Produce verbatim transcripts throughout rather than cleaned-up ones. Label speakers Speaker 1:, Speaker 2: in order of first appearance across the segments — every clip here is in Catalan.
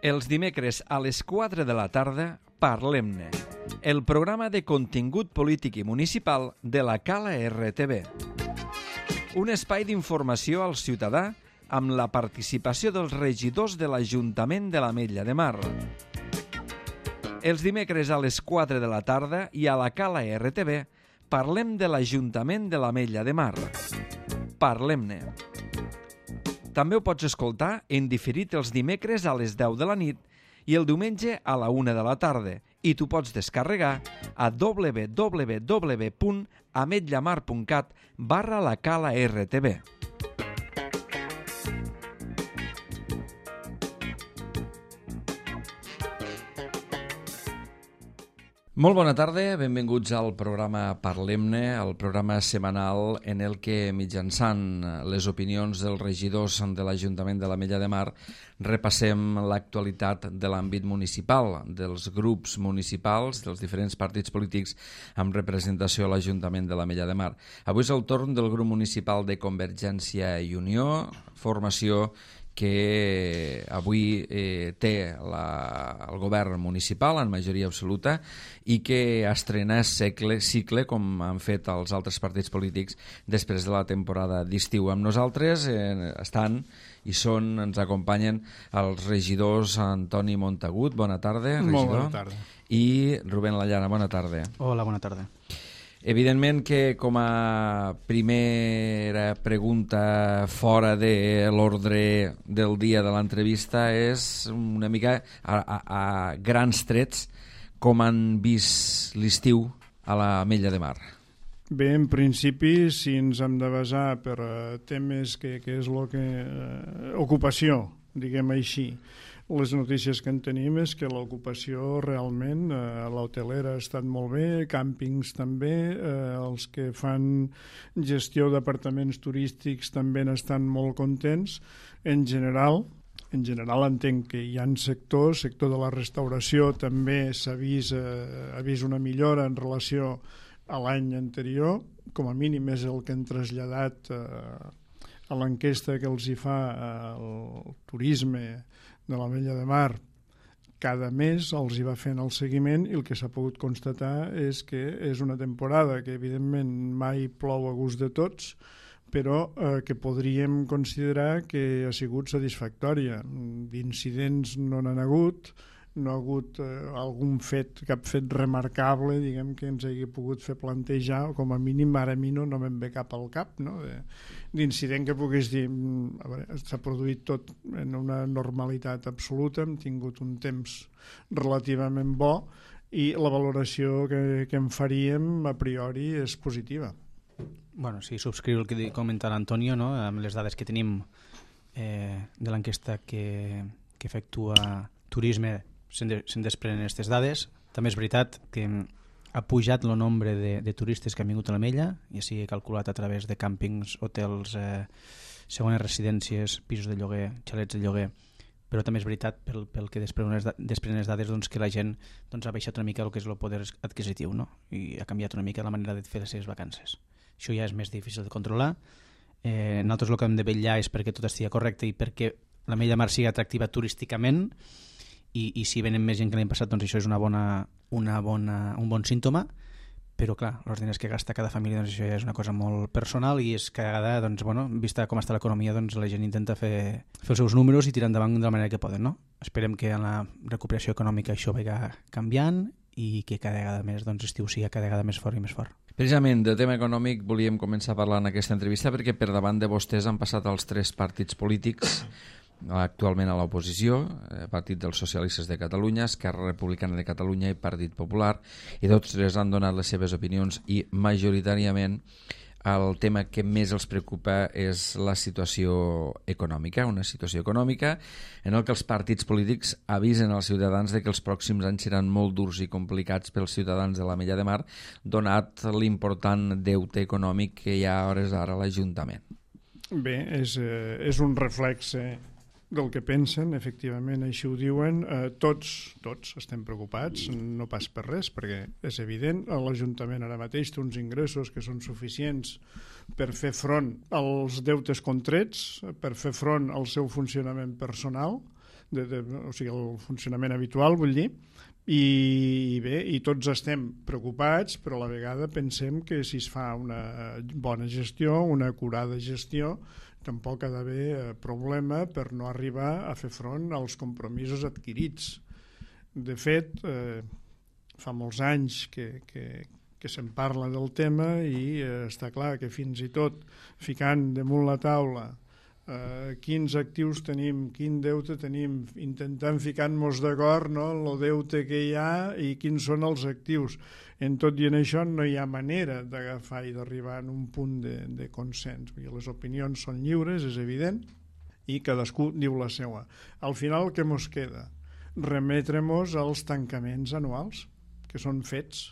Speaker 1: Els dimecres a les quatre de la tarda, Parlem-ne, el programa de contingut polític i municipal de la Cala R T V. Un espai d'informació al ciutadà amb la participació dels regidors de l'Ajuntament de l'Ametlla de Mar. Els dimecres a les quatre de la tarda i a la Cala R T V parlem de l'Ajuntament de l'Ametlla de Mar. Parlem-ne. També ho pots escoltar en diferit els dimecres a les deu de la nit i el diumenge a la una de la tarda, i t'ho pots descarregar a w w w punt ametllamar punt cat barra la Cala R T V. Molt bona tarda, benvinguts al programa Parlem-ne, el programa setmanal en el que, mitjançant les opinions dels regidors de l'Ajuntament de l'Ametlla de Mar, repassem l'actualitat de l'àmbit municipal, dels grups municipals, dels diferents partits polítics amb representació a l'Ajuntament de l'Ametlla de Mar. Avui és el torn del grup municipal de Convergència i Unió, formació que avui eh, té la, el govern municipal en majoria absoluta i que estrena cicle, cicle com han fet els altres partits polítics després de la temporada d'estiu. Amb nosaltres eh, estan i són, ens acompanyen els regidors Antoni Montagut, bona tarda, regidor.
Speaker 2: Molt bona tarda.
Speaker 1: I Rubén Lallana, bona tarda.
Speaker 2: Hola, bona tarda.
Speaker 1: Evidentment que com a primera pregunta fora de l'ordre del dia de l'entrevista és una mica a, a, a grans trets com han vist l'estiu a l'Ametlla de Mar.
Speaker 2: Bé, en principi, si ens hem de basar per uh, temes que, que és el que... Uh, ocupació, diguem així. Les notícies que en tenim és que l'ocupació realment, eh, l'hotelera ha estat molt bé, càmpings també, eh, els que fan gestió d'apartaments turístics també n'estan molt contents. En general, en general entenc que hi ha sectors, sector de la restauració també s'ha vist, eh, ha vist una millora en relació a l'any anterior, com a mínim és el que han traslladat eh, a l'enquesta que els hi fa eh, el turisme de l'Ametlla de Mar. Cada mes els hi va fent el seguiment i el que s'ha pogut constatar és que és una temporada que evidentment mai plou a gust de tots, però eh, que podríem considerar que ha sigut satisfactòria. D'incidents no n'han hagut, no ha hagut eh, algun fet, cap fet remarcable, diguem, que ens hagi pogut fer plantejar, com a mínim ara a mi no, no me'n ve cap al cap, no? De, d'incident que pogués dir, a veure, s'ha produït tot en una normalitat absoluta, hem tingut un temps relativament bo i la valoració que, que en faríem a priori és positiva.
Speaker 3: Bueno, sí, subscriu el que comenta l'Antonio, no? Amb les dades que tenim eh, de l'enquesta que, que efectua Turisme, se'n de, se'n desprenen aquestes dades. També és veritat que ha pujat el nombre de, de turistes que han vingut a l'Ametlla, ja sigui calculat a través de càmpings, hotels, eh, segones residències, pisos de lloguer, xalets de lloguer, però també és veritat pel, pel que desprenen les, desprenen les dades doncs, que la gent doncs, ha baixat una mica el que és el poder adquisitiu, no? I ha canviat una mica la manera de fer les seves vacances. Això ja és més difícil de controlar. Eh, nosaltres el que hem de vetllar és perquè tot estigui correcte i perquè l'Ametlla de Mar sigui atractiva turísticament. I, i si venen més gent que l'any passat, doncs això és una bona, una bona, un bon símptoma, però clar, els diners que gasta cada família, doncs això ja és una cosa molt personal i és que cada vegada, doncs, bueno, vista com està l'economia, doncs la gent intenta fer, fer els seus números i tirar endavant de la manera que poden, no? Esperem que en la recuperació econòmica això vagi canviant i que cada vegada més, doncs, estiu sigui cada vegada més fort i més fort.
Speaker 1: Precisament, de tema econòmic volíem començar a parlar en aquesta entrevista perquè per davant de vostès han passat els tres partits polítics actualment a l'oposició, Partit dels Socialistes de Catalunya, Esquerra Republicana de Catalunya i Partit Popular, i tots tres han donat les seves opinions i majoritàriament el tema que més els preocupa és la situació econòmica, una situació econòmica en el que els partits polítics avisen als ciutadans de que els pròxims anys seran molt durs i complicats pels ciutadans de l'Ametlla de Mar, donat l'important deute econòmic que hi ha a hores d'ara a l'Ajuntament.
Speaker 2: Bé, és, eh, és un reflex eh, del que pensen, efectivament, així ho diuen. Eh, tots, tots estem preocupats, no pas per res, perquè és evident, l'Ajuntament ara mateix té uns ingressos que són suficients per fer front als deutes contrets, per fer front al seu funcionament personal, de, de, o sigui, el funcionament habitual, vull dir, i bé, i tots estem preocupats, però a la vegada pensem que si es fa una bona gestió, una acurada gestió, tampoc ha d'haver problema per no arribar a fer front als compromisos adquirits. De fet, eh, fa molts anys que, que, que se'n parla del tema i eh, està clar que fins i tot ficant damunt la taula Uh, quins actius tenim, quin deute tenim, intentant ficar-nos d'acord, no, en el deute que hi ha i quins són els actius. En tot i en això no hi ha manera d'agafar i d'arribar a un punt de, de consens. Les opinions són lliures, és evident, i cadascú diu la seva. Al final, què mos queda? Remetre-mos als tancaments anuals, que són fets.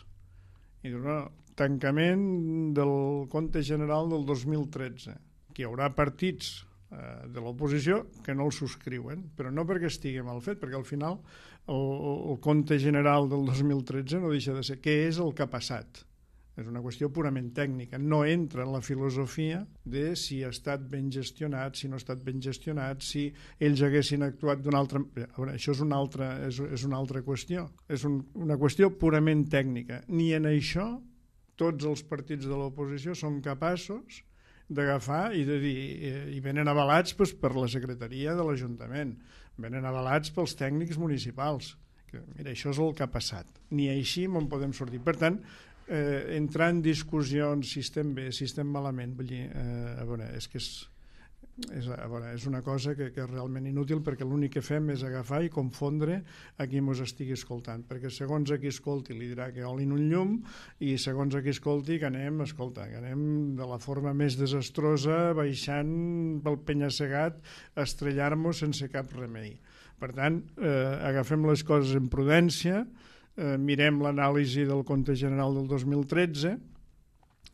Speaker 2: I diu, no, tancament del compte general del dos mil tretze, que hi haurà partits de l'oposició que no el subscriuen, però no perquè estigui mal fet, perquè al final el, el compte general del dos mil tretze no deixa de ser què és el que ha passat. És una qüestió purament tècnica, no entra en la filosofia de si ha estat ben gestionat, si no ha estat ben gestionat, si ells haguessin actuat d'una altra... Veure, això és una altra, és, és una altra qüestió, és un, una qüestió purament tècnica. Ni en això tots els partits de l'oposició són capaços d'agafar i de dir, i venen avalats pues, per la secretaria de l'Ajuntament, venen avalats pels tècnics municipals, que mira, això és el que ha passat, ni així me'n podem sortir. Per tant, eh, entrar en discussions si estem bé, si estem malament, vull dir, eh, a veure, és que és, és, a veure, és una cosa que, que és realment inútil, perquè l'únic que fem és agafar i confondre a qui mos estigui escoltant, perquè segons a qui escolti li dirà que olin un llum i segons a qui escolti que anem, escolta, que anem de la forma més desastrosa baixant pel penya-segat a estrellar-nos sense cap remei. Per tant, eh, agafem les coses en prudència, eh, mirem l'anàlisi del compte general del dos mil tretze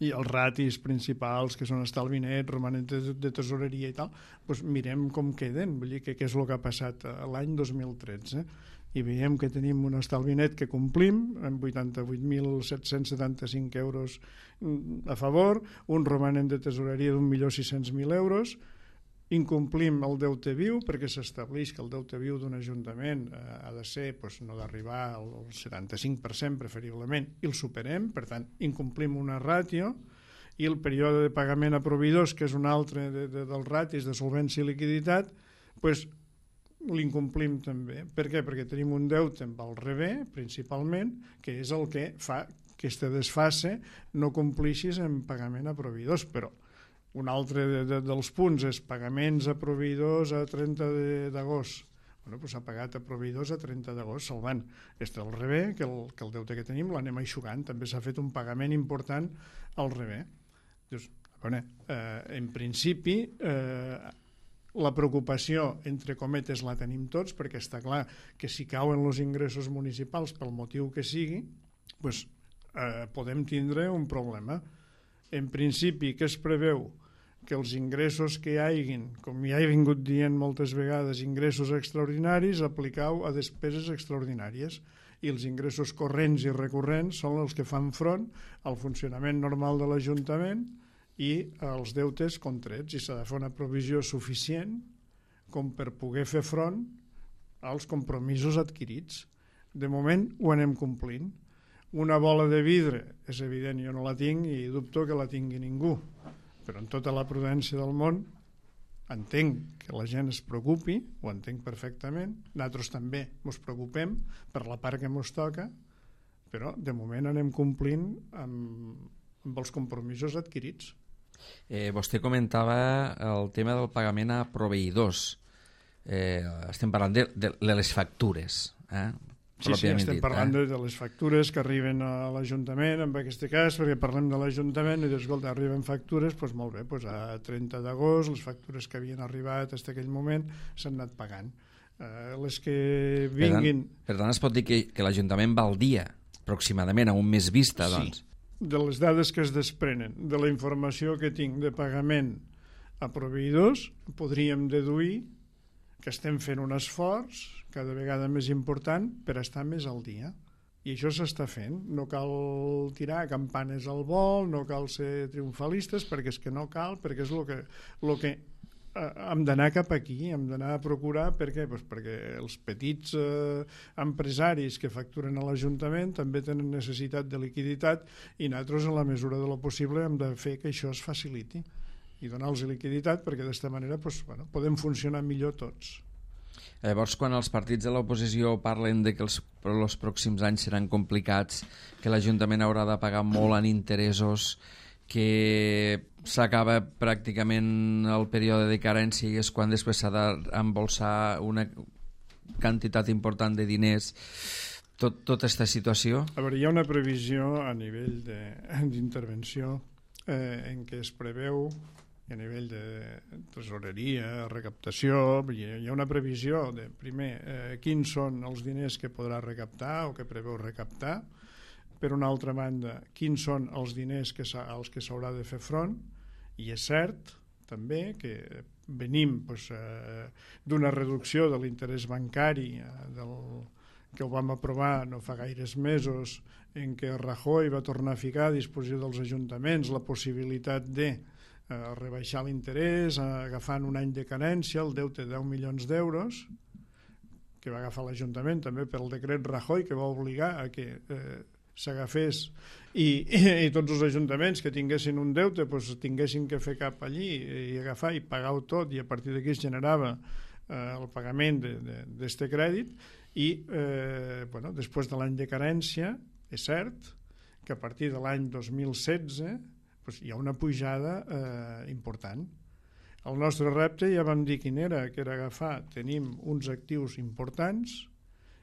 Speaker 2: i els ratis principals, que són estalvi net, romanent de, de tesoreria i tal, doncs mirem com queden, vull dir que què és el que ha passat l'any dos mil tretze. I veiem que tenim un estalvi net que complim, amb vuitanta-vuit mil set-cents setanta-cinc euros a favor, un romanent de tesoreria d'un milió sis-cents mil euros, incomplim el deute viu perquè s'estableix que el deute viu d'un ajuntament eh, ha de ser, doncs, no d'arribar al setanta-cinc per cent preferiblement, i el superem, per tant incomplim una ràtio, i el període de pagament a proveïdors, que és un altre de, de, dels ratis de solvència i liquiditat, doncs l'incomplim també. Per què? Perquè tenim un deute amb el rebé, principalment, que és el que fa que aquesta desfase no complixis en pagament a proveïdors, però un altre de, de, dels punts és pagaments a proveïdors a trenta d'agost. Bueno, doncs s'ha pagat a proveïdors a trenta d'agost, salvant. Este al rebé, que el, que el deute que tenim l'anem aixugant. També s'ha fet un pagament important al rebé. Doncs, bueno, eh, en principi, eh, la preocupació, entre cometes, la tenim tots, perquè està clar que si cauen els ingressos municipals pel motiu que sigui, doncs, eh, podem tindre un problema. En principi, què es preveu? Que els ingressos que hi hagin, com ja he vingut dient moltes vegades, ingressos extraordinaris, aplicau a despeses extraordinàries, i els ingressos corrents i recurrents són els que fan front al funcionament normal de l'Ajuntament i als deutes contrets, i s'ha de fer una provisió suficient com per poder fer front als compromisos adquirits. De moment ho anem complint. Una bola de vidre, és evident, jo no la tinc i dubto que la tingui ningú, però en tota la prudència del món entenc que la gent es preocupi, ho entenc perfectament, nosaltres també ens preocupem per la part que ens toca, però de moment anem complint amb, amb els compromisos adquirits.
Speaker 1: Eh, vostè comentava el tema del pagament a proveïdors. Eh, estem parlant de, de, de les factures, eh?
Speaker 2: Sí, sí, estem dit, parlant eh? de, de les factures que arriben a l'Ajuntament, en aquest cas, perquè parlem de l'Ajuntament i dius, escolta, arriben factures, doncs molt bé, doncs a trenta d'agost les factures que havien arribat fins a aquell moment s'han anat pagant. Eh, les que vinguin...
Speaker 1: Per tant, per tant es pot dir que, que l'Ajuntament va al dia, aproximadament, a un mes vista, doncs.
Speaker 2: Sí, de les dades que es desprenen, de la informació que tinc de pagament a proveïdors, podríem deduir que estem fent un esforç cada vegada més important per estar més al dia. I això s'està fent. No cal tirar campanes al vol, no cal ser triomfalistes, perquè és que no cal, perquè és el que, el que hem d'anar cap aquí, hem d'anar a procurar, per què? Pues perquè els petits eh, empresaris que facturen a l'Ajuntament també tenen necessitat de liquiditat i nosaltres, en la mesura de lo possible, hem de fer que això es faciliti i donar-los liquiditat perquè d'esta manera pues, bueno, podem funcionar millor tots.
Speaker 1: Llavors, quan els partits de l'oposició parlen de que els, els pròxims anys seran complicats, que l'Ajuntament haurà de pagar molt en interessos, que s'acaba pràcticament el període de carència i és quan després s'ha d'embolsar una quantitat important de diners, tot, tota aquesta situació?
Speaker 2: A veure, hi ha una previsió a nivell d'intervenció eh, en què es preveu a nivell de tresoreria, recaptació, hi ha una previsió de, primer, eh, quins són els diners que podrà recaptar o que preveu recaptar, per una altra banda, quins són els diners que als que s'haurà de fer front, i és cert també que venim pues, eh, d'una reducció de l'interès bancari eh, del, que ho vam aprovar no fa gaires mesos, en què Rajoy va tornar a ficar a disposició dels ajuntaments la possibilitat de eh, rebaixar l'interès, eh, agafant un any de carència, el deute de deu milions d'euros, que va agafar l'Ajuntament també pel decret Rajoy, que va obligar a que eh, s'agafés i, i, i tots els ajuntaments que tinguessin un deute pues, tinguessin que fer cap allí i agafar i pagar-ho tot, i a partir d'aquí es generava eh, el pagament d'aquest crèdit i eh, bueno, després de l'any de carència és cert que a partir de l'any dos mil setze pues, hi ha una pujada eh, important. El nostre repte ja vam dir quin era, que era agafar, tenim uns actius importants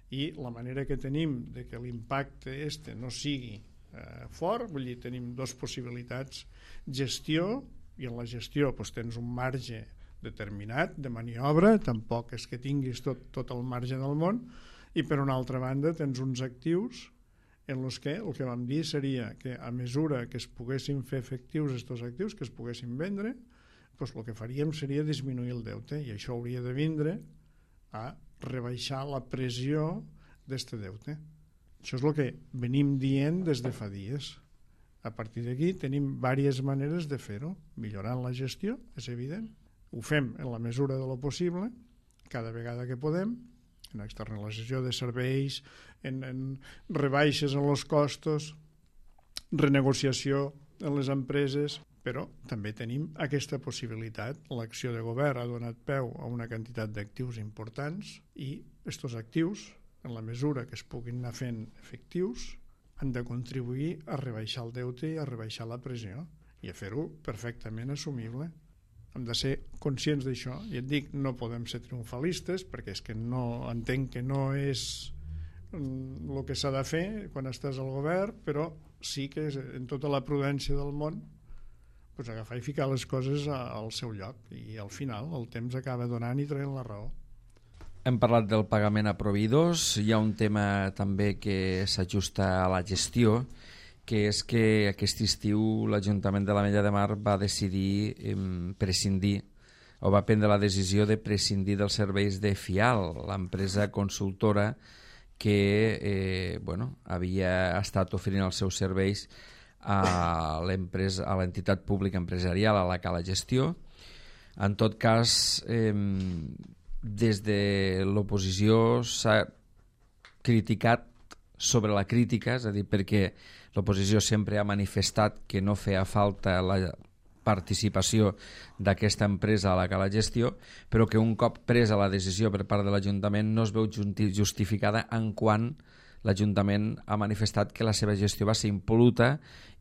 Speaker 2: i la manera que tenim de que l'impacte este no sigui eh, fort, vull dir, tenim dues possibilitats, gestió, i en la gestió doncs, tens un marge determinat de maniobra, tampoc és que tinguis tot, tot el marge del món, i per una altra banda tens uns actius en els que el que vam dir seria que a mesura que es poguessin fer efectius aquests actius, que es poguessin vendre, doncs el que faríem seria disminuir el deute, i això hauria de vindre a rebaixar la pressió d'este deute. Això és el que venim dient des de fa dies. A partir d'aquí tenim diverses maneres de fer-ho, millorant la gestió, és evident. Ho fem en la mesura de lo possible, cada vegada que podem, en externalització de serveis, en, en rebaixes en els costos, renegociació en les empreses, però també tenim aquesta possibilitat. L'acció de govern ha donat peu a una quantitat d'actius importants i aquests actius, en la mesura que es puguin anar fent efectius, han de contribuir a rebaixar el deute i a rebaixar la pressió i a fer-ho perfectament assumible. Hem de ser conscients d'això, i et dic, no podem ser triomfalistes perquè és que no entenc que no és el que s'ha de fer quan estàs al govern, però sí que en tota la prudència del món pues agafar i ficar les coses al seu lloc, i al final el temps acaba donant i traient la raó.
Speaker 1: Hem parlat del pagament a proveïdors, hi ha un tema també que s'ajusta a la gestió, que és que aquest estiu l'Ajuntament de l'Ametlla de Mar va decidir eh, prescindir, o va prendre la decisió de prescindir dels serveis de FIAL, l'empresa consultora que eh, bueno, havia estat oferint els seus serveis a l'empresa, a l'entitat pública empresarial a la Cala Gestió. En tot cas, eh, des de l'oposició s'ha criticat sobre la crítica, és a dir, perquè l'oposició sempre ha manifestat que no feia falta la participació d'aquesta empresa a la Cala Gestió, però que un cop presa la decisió per part de l'Ajuntament no es veu justificada en quant l'Ajuntament ha manifestat que la seva gestió va ser impol·luta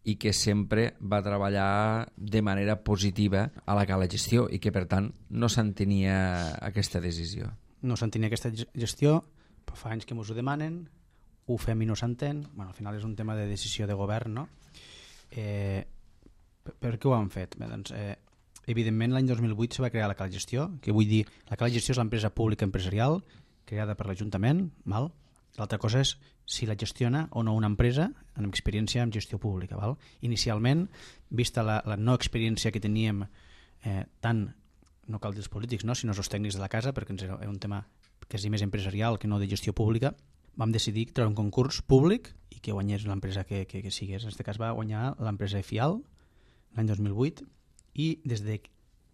Speaker 1: i que sempre va treballar de manera positiva a la Cala Gestió i que, per tant, no s'entenia aquesta decisió.
Speaker 3: No s'entenia aquesta gestió, però fa anys que ens ho demanen, ho fem i no s'entén. Bueno, al final és un tema de decisió de govern, no? Eh, per, per què ho han fet? Bé, doncs, eh, evidentment, l'any dos mil vuit se va crear la Cala Gestió, que vull dir, la Cala Gestió és l'empresa pública empresarial creada per l'Ajuntament, val? L'altra cosa és si la gestiona o no una empresa amb experiència en gestió pública. Val? Inicialment, vista la, la no experiència que teníem eh, tant, no cal dir els polítics, no, sinó els tècnics de la casa, perquè era un tema que és més empresarial que no de gestió pública, vam decidir treure un concurs públic i que guanyés l'empresa que, que, que sigués. En aquest cas va guanyar l'empresa FIAL l'any dos mil vuit, i des de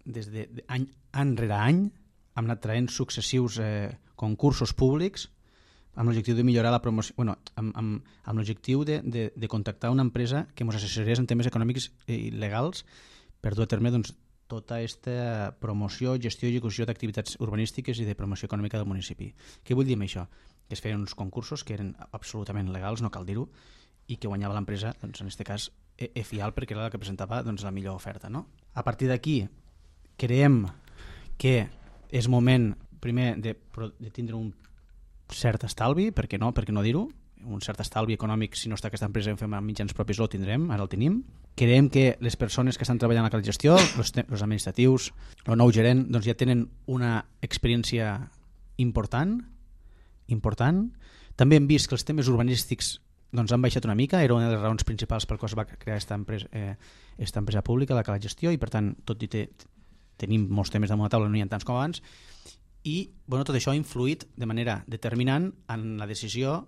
Speaker 3: des de, de any, any rere any hem anat traient successius eh, concursos públics amb l'objectiu de millorar la promoció, bueno, amb, amb, amb l'objectiu de, de, de contactar una empresa que ens assessorés en temes econòmics i legals per dur a terme doncs, tota aquesta promoció, gestió i execució d'activitats urbanístiques i de promoció econòmica del municipi. Què vull dir amb això? Que es feien uns concursos que eren absolutament legals, no cal dir-ho, i que guanyava l'empresa, doncs, en aquest cas, EFIAL, perquè era la que presentava doncs, la millor oferta. No? A partir d'aquí, creiem que és moment, primer, de, de tindre un cert estalvi, per què no, per què no dir-ho? Un cert estalvi econòmic, si no està aquesta empresa en fem amb mitjans propis, el tindrem, ara el tenim. Creiem que les persones que estan treballant a la gestió, els administratius, el nou gerent, doncs ja tenen una experiència important, important. També hem vist que els temes urbanístics doncs, han baixat una mica, era una de les raons principals per què es va crear aquesta empresa, eh, esta empresa pública, la Cala Gestió, i per tant, tot i te, tenim molts temes damunt la taula, no hi ha tants com abans, i bueno, tot això ha influït de manera determinant en la decisió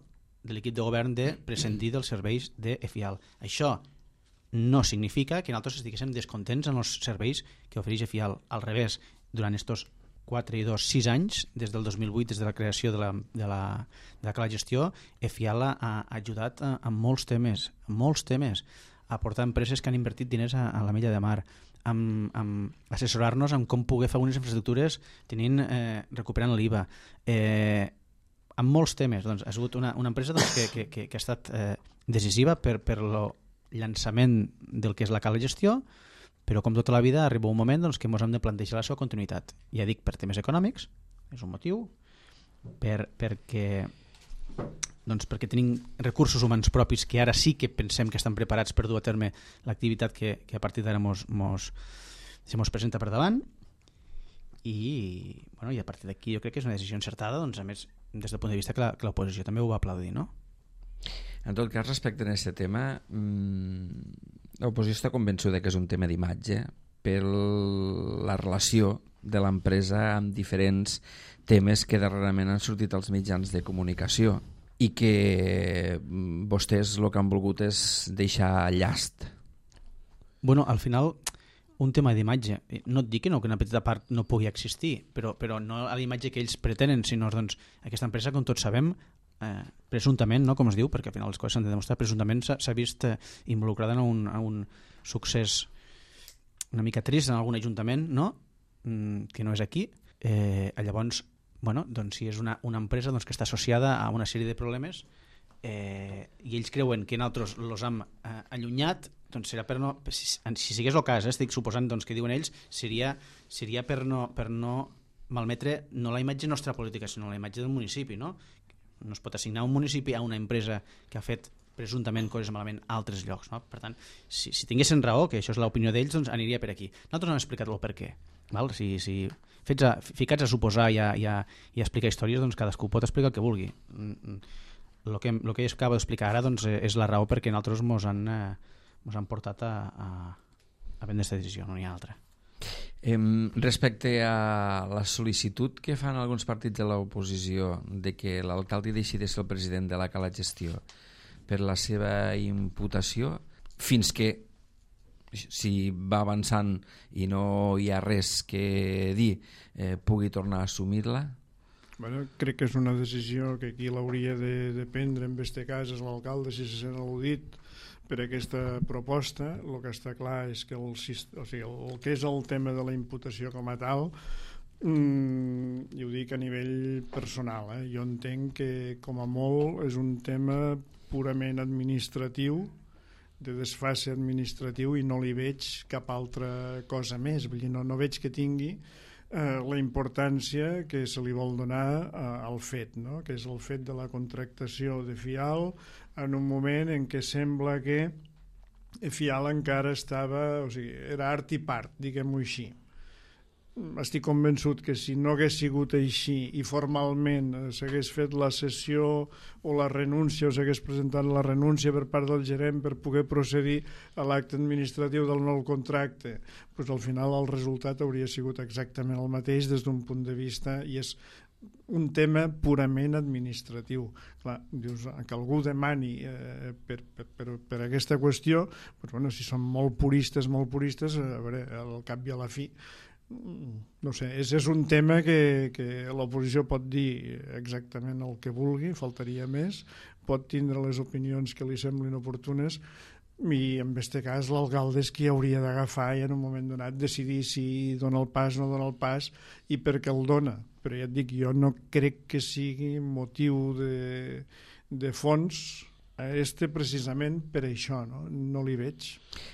Speaker 3: de l'equip de govern de prescindir dels serveis d'EFIAL. Això no significa que nosaltres estiguéssim descontents en els serveis que ofereix EFIAL. Al revés, durant estos quatre i dos, sis anys, des del dos mil vuit, des de la creació de la, de la, de la Cala Gestió, EFIAL ha, ha ajudat a, a molts temes, a molts temes, a portar empreses que han invertit diners a, a la Mella de Mar, amb, amb assessorar-nos en com poder fer unes infraestructures tenint, eh, recuperant l'I V A, eh, amb molts temes. Doncs, ha sigut una, una empresa doncs, que, que, que, que ha estat eh, decisiva per, per el llançament del que és la Cala Gestió, però com tota la vida arriba un moment doncs, que ens hem de plantejar la seva continuïtat. Ja dic, per temes econòmics, és un motiu, per, perquè, doncs, perquè tenim recursos humans propis que ara sí que pensem que estan preparats per dur a terme l'activitat que, que a partir d'ara mos, mos, se mos presenta per davant, i, bueno, i a partir d'aquí jo crec que és una decisió encertada, doncs, a més, des del punt de vista que l'oposició també ho va aplaudir, no?
Speaker 1: En tot cas, respecte a aquest tema, mmm, l'oposició està convençuda que és un tema d'imatge per la relació de l'empresa amb diferents temes que darrerament han sortit als mitjans de comunicació i que vostès el que han volgut és deixar llast.
Speaker 3: Bueno, al final, un tema d'imatge, no et dic que, no, que una petita part no pugui existir, però, però no a l'imatge que ells pretenen, sinó doncs, aquesta empresa, com tots sabem, eh, presumptament, no, com es diu, perquè al final les coses s'han de demostrar, presumptament s'ha vist eh, involucrada en un, en un succés una mica trist en algun ajuntament, no? Mm, que no és aquí. Eh, llavors, bueno, doncs, si és una, una empresa doncs, que està associada a una sèrie de problemes eh, i ells creuen que nosaltres els hem eh, allunyat, doncs serà per no, si, si sigués el cas, eh, estic suposant doncs, que diuen ells, seria, seria per, no, per no malmetre no la imatge nostra política, sinó la imatge del municipi, no? No es pot assignar un municipi a una empresa que ha fet presumptament coses malament a altres llocs, no? Per tant, si, si tinguessin raó, que això és l'opinió d'ells, doncs aniria per aquí. Nosaltres no hem explicat el per què. Val? Si, si fets a, ficats a suposar i a, i, a, i a explicar històries, doncs cadascú pot explicar el que vulgui. El que, el que acabo d'explicar ara doncs, és la raó perquè nosaltres mos han, eh, mos han portat a, a, a prendre aquesta decisió, no n'hi ha altra.
Speaker 1: Eh, respecte a la sol·licitud que fan alguns partits de l'oposició de que l'alcalde deixi de ser el president de la Cala Gestió per la seva imputació, fins que si va avançant i no hi ha res que dir eh, pugui tornar a assumir-la?
Speaker 2: Bueno, crec que és una decisió que qui l'hauria de, de prendre en este cas és l'alcalde, si se sent al·ludit per aquesta proposta. El que està clar és que el, o sigui, el que és el tema de la imputació com a tal, mmm, i ho dic a nivell personal, eh? Jo entenc que com a molt és un tema purament administratiu, de desfase administratiu, i no li veig cap altra cosa més. Vull dir, no, no veig que tingui eh, la importància que se li vol donar eh, al fet, no? Que és el fet de la contractació de FIAL en un moment en què sembla que FIAL encara estava, o sigui, era art i part, diguem-ho així. Estic convençut que si no hagués sigut així i formalment s'hagués fet la sessió o la renúncia o s'hagués presentat la renúncia per part del gerent per poder procedir a l'acte administratiu del nou contracte, doncs al final el resultat hauria sigut exactament el mateix des d'un punt de vista, i és un tema purament administratiu. Clar, dius que algú demani eh, per, per, per, per aquesta qüestió, doncs, bueno, si són molt puristes, molt puristes, a veure, al cap i a la fi no sé, és, és un tema que, que l'oposició pot dir exactament el que vulgui, faltaria més, pot tindre les opinions que li semblin oportunes, i en aquest cas l'alcalde és qui hauria d'agafar i en un moment donat decidir si dona el pas o no dona el pas i per què el dona. Però ja et dic, jo no crec que sigui motiu de, de fons a este precisament per això, no? No li veig.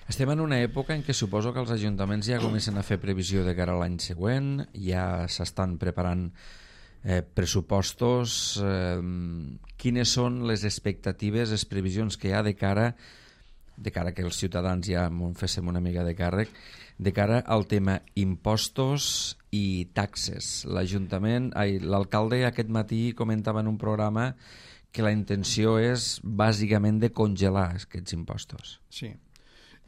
Speaker 1: Estem en una època en què suposo que els ajuntaments ja comencen a fer previsió de cara a l'any següent, ja s'estan preparant eh, pressupostos. Eh, quines són les expectatives, les previsions que hi ha de cara de cara que els ciutadans ja en féssim una mica de càrrec, de cara al tema impostos i taxes? L'Ajuntament, l'alcalde aquest matí comentava en un programa que la intenció és bàsicament de congelar aquests impostos.
Speaker 2: Sí,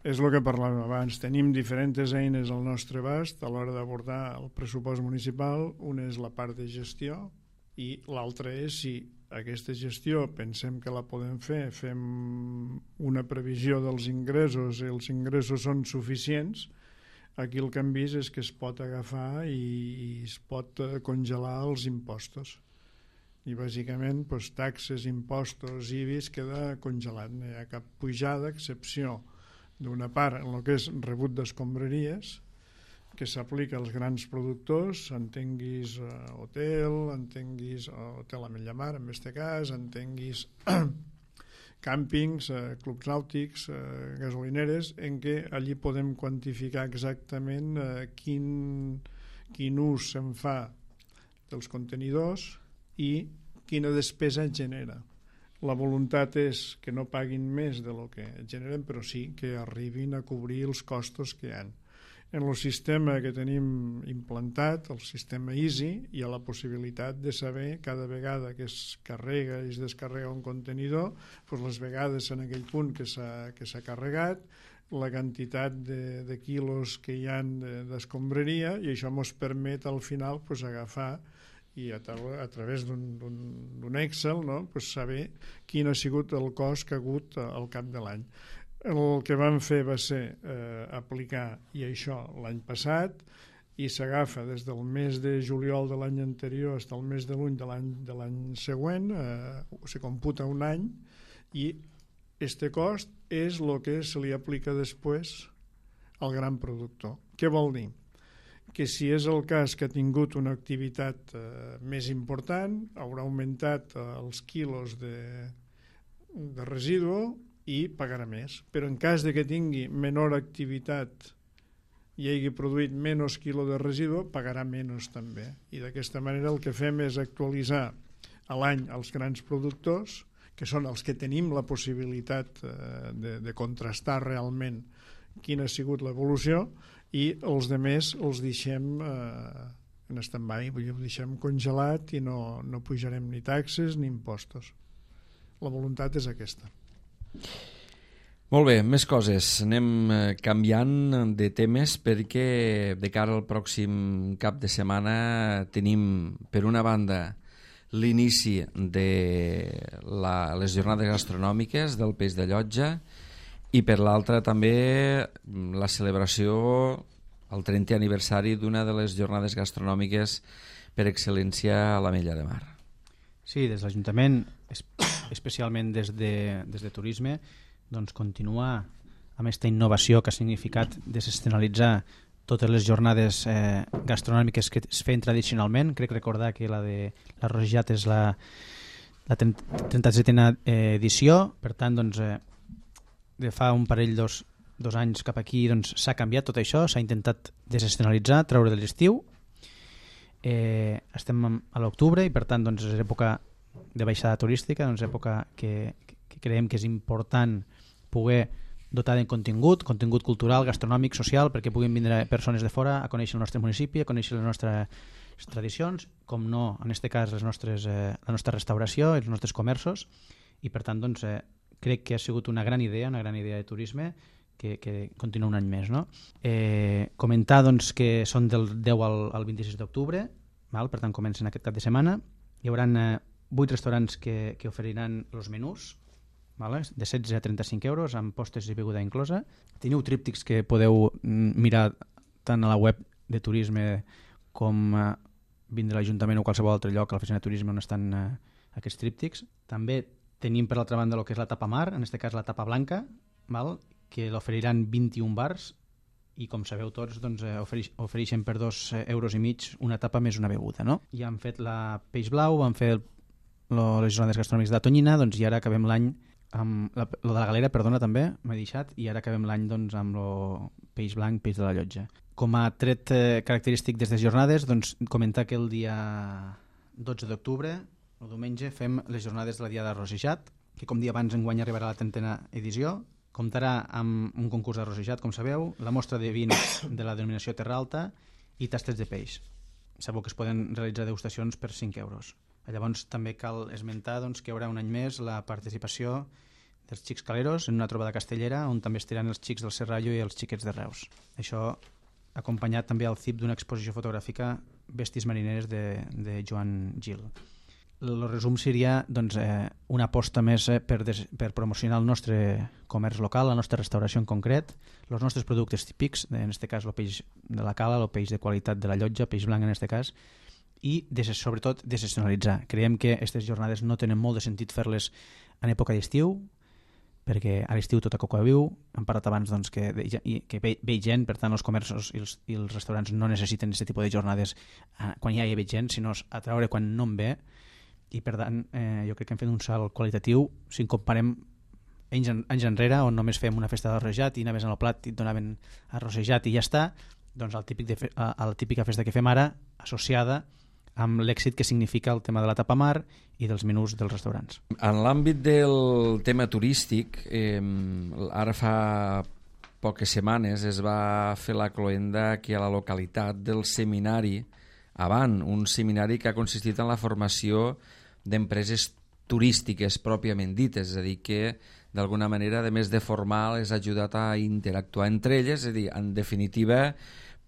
Speaker 2: és el que parlàvem abans. Tenim diferents eines al nostre abast a l'hora d'abordar el pressupost municipal. Una és la part de gestió i l'altra és si aquesta gestió pensem que la podem fer, fem una previsió dels ingressos i els ingressos són suficients. Aquí el que hem vist és que es pot agafar i, i es pot congelar els impostos. I bàsicament doncs, taxes, impostos, I B I S queda congelat. No hi ha cap pujada, a excepció d'una part en el que és rebut d'escombraries, que s'aplica als grans productors, entenguis uh, hotel, entenguis uh, hotel a Mellamar, en aquest cas, entenguis càmpings, uh, clubs nàutics, uh, gasolineres, en què allí podem quantificar exactament uh, quin, quin ús se'n fa dels contenidors i quina despesa genera. La voluntat és que no paguin més de lo que generen, però sí que arribin a cobrir els costos que hi ha. En el sistema que tenim implantat, el sistema Easy, hi ha la possibilitat de saber cada vegada que es carrega i es descarrega un contenidor, doncs les vegades en aquell punt que s'ha que s'ha carregat, la quantitat de, de quilos que hi ha d'escombraria, i això ens permet al final pues, agafar i a, a través d'un Excel no? pues saber quin ha sigut el cost que ha hagut al cap de l'any. El que vam fer va ser eh, aplicar, i això l'any passat, i s'agafa des del mes de juliol de l'any anterior fins al mes de juny de l'any de l'any següent, eh, se computa un any, i este cost és el que se li aplica després al gran productor. Què vol dir? Que si és el cas que ha tingut una activitat eh, més important, haurà augmentat eh, els quilos de, de residu i pagarà més. Però en cas de que tingui menor activitat i hagi produït menys quilo de residu, pagarà menys també. I d'aquesta manera el que fem és actualitzar a l'any els grans productors, que són els que tenim la possibilitat eh, de, de contrastar realment quina ha sigut l'evolució, i els demés els deixem eh, en stand-by, vull dir, ho deixem congelat i no, no pujarem ni taxes ni impostos. La voluntat és aquesta.
Speaker 1: Molt bé, més coses. Anem canviant de temes perquè de cara al pròxim cap de setmana tenim, per una banda, l'inici de la, les jornades gastronòmiques del Peix de Llotja, i per l'altra també la celebració, el trentè aniversari d'una de les jornades gastronòmiques per excel·lència a l'Ametlla de Mar.
Speaker 3: Sí, des de l'Ajuntament, especialment des de, des de Turisme, doncs continuar amb aquesta innovació que ha significat desestacionalitzar totes les jornades eh, gastronòmiques que es feien tradicionalment. Crec recordar que la de la Rosjat és la, la trenta-setena edició, per tant, doncs, eh, de fa un parell, dos, dos anys cap aquí, doncs s'ha canviat tot això, s'ha intentat desestacionalitzar, treure de l'estiu. Eh, estem a l'octubre i per tant doncs, és època de baixada turística, doncs època que, que creiem que és important poder dotar de contingut, contingut cultural, gastronòmic, social, perquè puguin vindre persones de fora a conèixer el nostre municipi, a conèixer les nostres tradicions, com no, en aquest cas, les nostres, eh, la nostra restauració, els nostres comerços, i per tant doncs, eh, crec que ha sigut una gran idea, una gran idea de turisme que, que continua un any més. No? Eh, comentar doncs, que són del deu al, al vint-i-sis d'octubre, per tant comencen aquest cap de setmana. Hi haurà eh, vuit restaurants que, que oferiran els menús, vale? De setze a trenta-cinc euros, amb postres i beguda inclosa. Teniu tríptics que podeu mirar tant a la web de turisme com eh, vindre a l'Ajuntament o qualsevol altre lloc, a l'oficina de turisme on estan eh, aquests tríptics. També tenim per l'altra banda el que és la tapa mar, en aquest cas la tapa blanca, val? Que l'oferiran vint-i-un bars i com sabeu tots doncs, eh, oferix, ofereixen per dos euros i mig una tapa més una beguda, no? Ja han fet la peix blau, van fer el, lo, les jornades gastronòmiques de Tonyina, doncs i ara acabem l'any amb la, lo de la galera, perdona, també, m'he deixat, i ara acabem l'any doncs, amb el peix blanc, peix de la llotja. Com a tret eh, característic d'aquestes jornades, doncs, comentar que el dia dotze d'octubre, el diumenge, fem les jornades de la Diada de Rosejat, que com dia abans enguany arribarà a la trentena edició. Comptarà amb un concurs de rosejat, com sabeu, la mostra de vins de la denominació Terra Alta i tastes de peix. Sabeu que es poden realitzar degustacions per cinc euros. Llavors també cal esmentar doncs, que hi haurà un any més la participació dels Xics Caleros en una trobada castellera on també estiran els xics del Serrallo i els xiquets de Reus. Això acompanyat també al C I P d'una exposició fotogràfica Bèsties marineres de, de Joan Gil. El resum seria doncs, eh, una aposta més eh, per, des, per promocionar el nostre comerç local, la nostra restauració en concret, els nostres productes típics, en aquest cas el peix de la cala, el peix de qualitat de la llotja, peix blanc en aquest cas, i des, sobretot desestacionalitzar. Creiem que aquestes jornades no tenen molt de sentit fer-les en època d'estiu, perquè a l'estiu tota coca viu, hem parlat abans doncs, que, de, que ve, ve gent, per tant els comerços i els, i els restaurants no necessiten aquest tipus de jornades eh, quan ja hi ha gent, sinó a treure quan no en ve, i per tant eh, jo crec que hem fet un salt qualitatiu si en comparem anys, en, anys enrere on només fem una festa d'arrosejat i anaves al plat i et donaven arrosejat i ja està, doncs el típic de fe, a, a la típica festa que fem ara associada amb l'èxit que significa el tema de la tapa mar i dels menús dels restaurants.
Speaker 1: En l'àmbit del tema turístic, eh, ara fa poques setmanes es va fer la cloenda aquí a la localitat del seminari Avant, un seminari que ha consistit en la formació d'empreses turístiques pròpiament dites, és a dir, que d'alguna manera, a més de formar, les ha ajudat a interactuar entre elles, és a dir, en definitiva,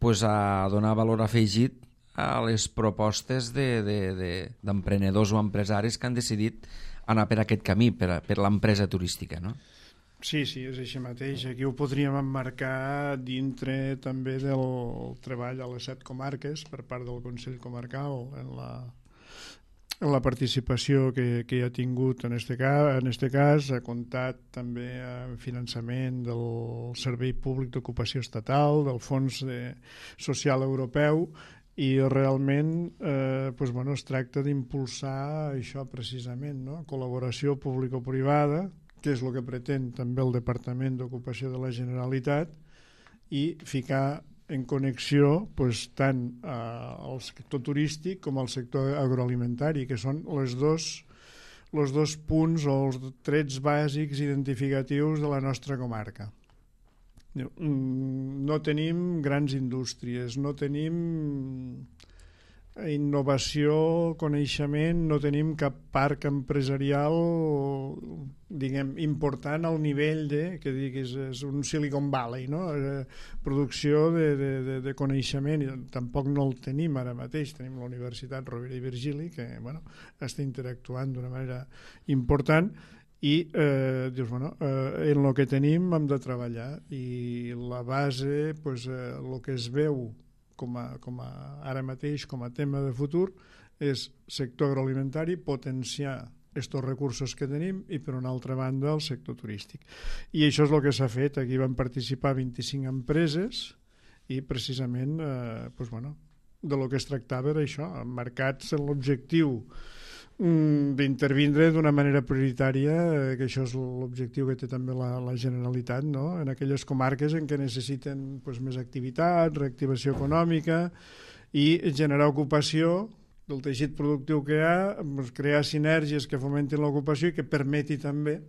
Speaker 1: pues, a donar valor afegit a les propostes d'emprenedors de, de, o empresaris que han decidit anar per aquest camí, per, per l'empresa turística, no?
Speaker 2: Sí, sí, és així mateix. Aquí ho podríem emmarcar dintre també del treball a les set comarques per part del Consell Comarcal en la, en la participació que, que hi ha tingut en este cas, en este cas ha comptat també amb finançament del Servei Públic d'Ocupació Estatal, del Fons de, Social Europeu, i realment eh, pues, bueno, es tracta d'impulsar això precisament, no? Col·laboració público-privada, que és el que pretén també el Departament d'Ocupació de la Generalitat, i ficar en connexió pues, tant eh, el sector turístic com el sector agroalimentari, que són les dos, els dos punts o els trets bàsics identificatius de la nostra comarca. No tenim grans indústries, no tenim innovació, coneixement, no tenim cap parc empresarial diguem, important al nivell de, que diguis, és un Silicon Valley, no? Producció de, de, de, de coneixement, i tampoc no el tenim ara mateix. Tenim la Universitat Rovira i Virgili, que bueno, està interactuant d'una manera important, i eh, dius, bueno, eh, en el que tenim hem de treballar, i la base, pues, eh, el que es veu com a, com a, ara mateix com a tema de futur és sector agroalimentari, potenciar estos recursos que tenim, i per una altra banda el sector turístic. I això és el que s'ha fet. Aquí van participar vint-i-cinc empreses i precisament eh, pues, bueno, de lo que es tractava era això, emmarcats en l'objectiu d'intervindre d'una manera prioritària, eh, que això és l'objectiu que té també la, la Generalitat, no? En aquelles comarques en què necessiten pues, més activitat, reactivació econòmica i generar ocupació del teixit productiu que hi ha, pues, crear sinergies que fomentin l'ocupació i que permeti també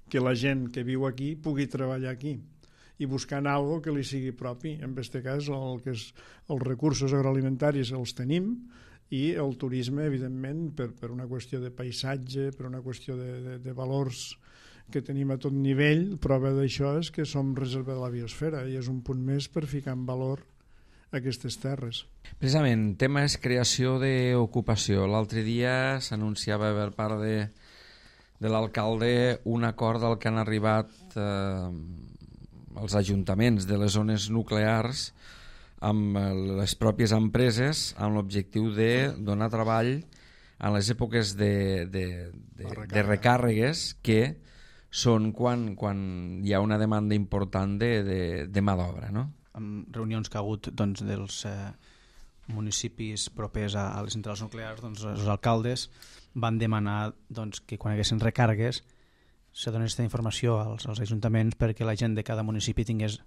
Speaker 2: que la gent que viu aquí pugui treballar aquí i buscant alguna que li sigui propi. En aquest cas, el que és, els recursos agroalimentaris els tenim, i el turisme, evidentment, per, per una qüestió de paisatge, per una qüestió de, de, de valors que tenim a tot nivell. Prova d'això és que som reserva de la biosfera i és un punt més per ficar en valor aquestes terres.
Speaker 1: Precisament, tema és creació d'ocupació. L'altre dia s'anunciava per part de, de l'alcalde un acord al que han arribat eh, els ajuntaments de les zones nuclears amb les pròpies empreses amb l'objectiu de donar treball en les èpoques de, de, de, de recàrregues, que són quan, quan hi ha una demanda important de, de, de mà d'obra, no?
Speaker 3: Amb reunions que ha hagut doncs, dels eh, municipis propers a, a les centrals nuclears, doncs, els alcaldes van demanar doncs, que quan hi haguessin recàrregues se donés aquesta informació als, als ajuntaments perquè la gent de cada municipi tingués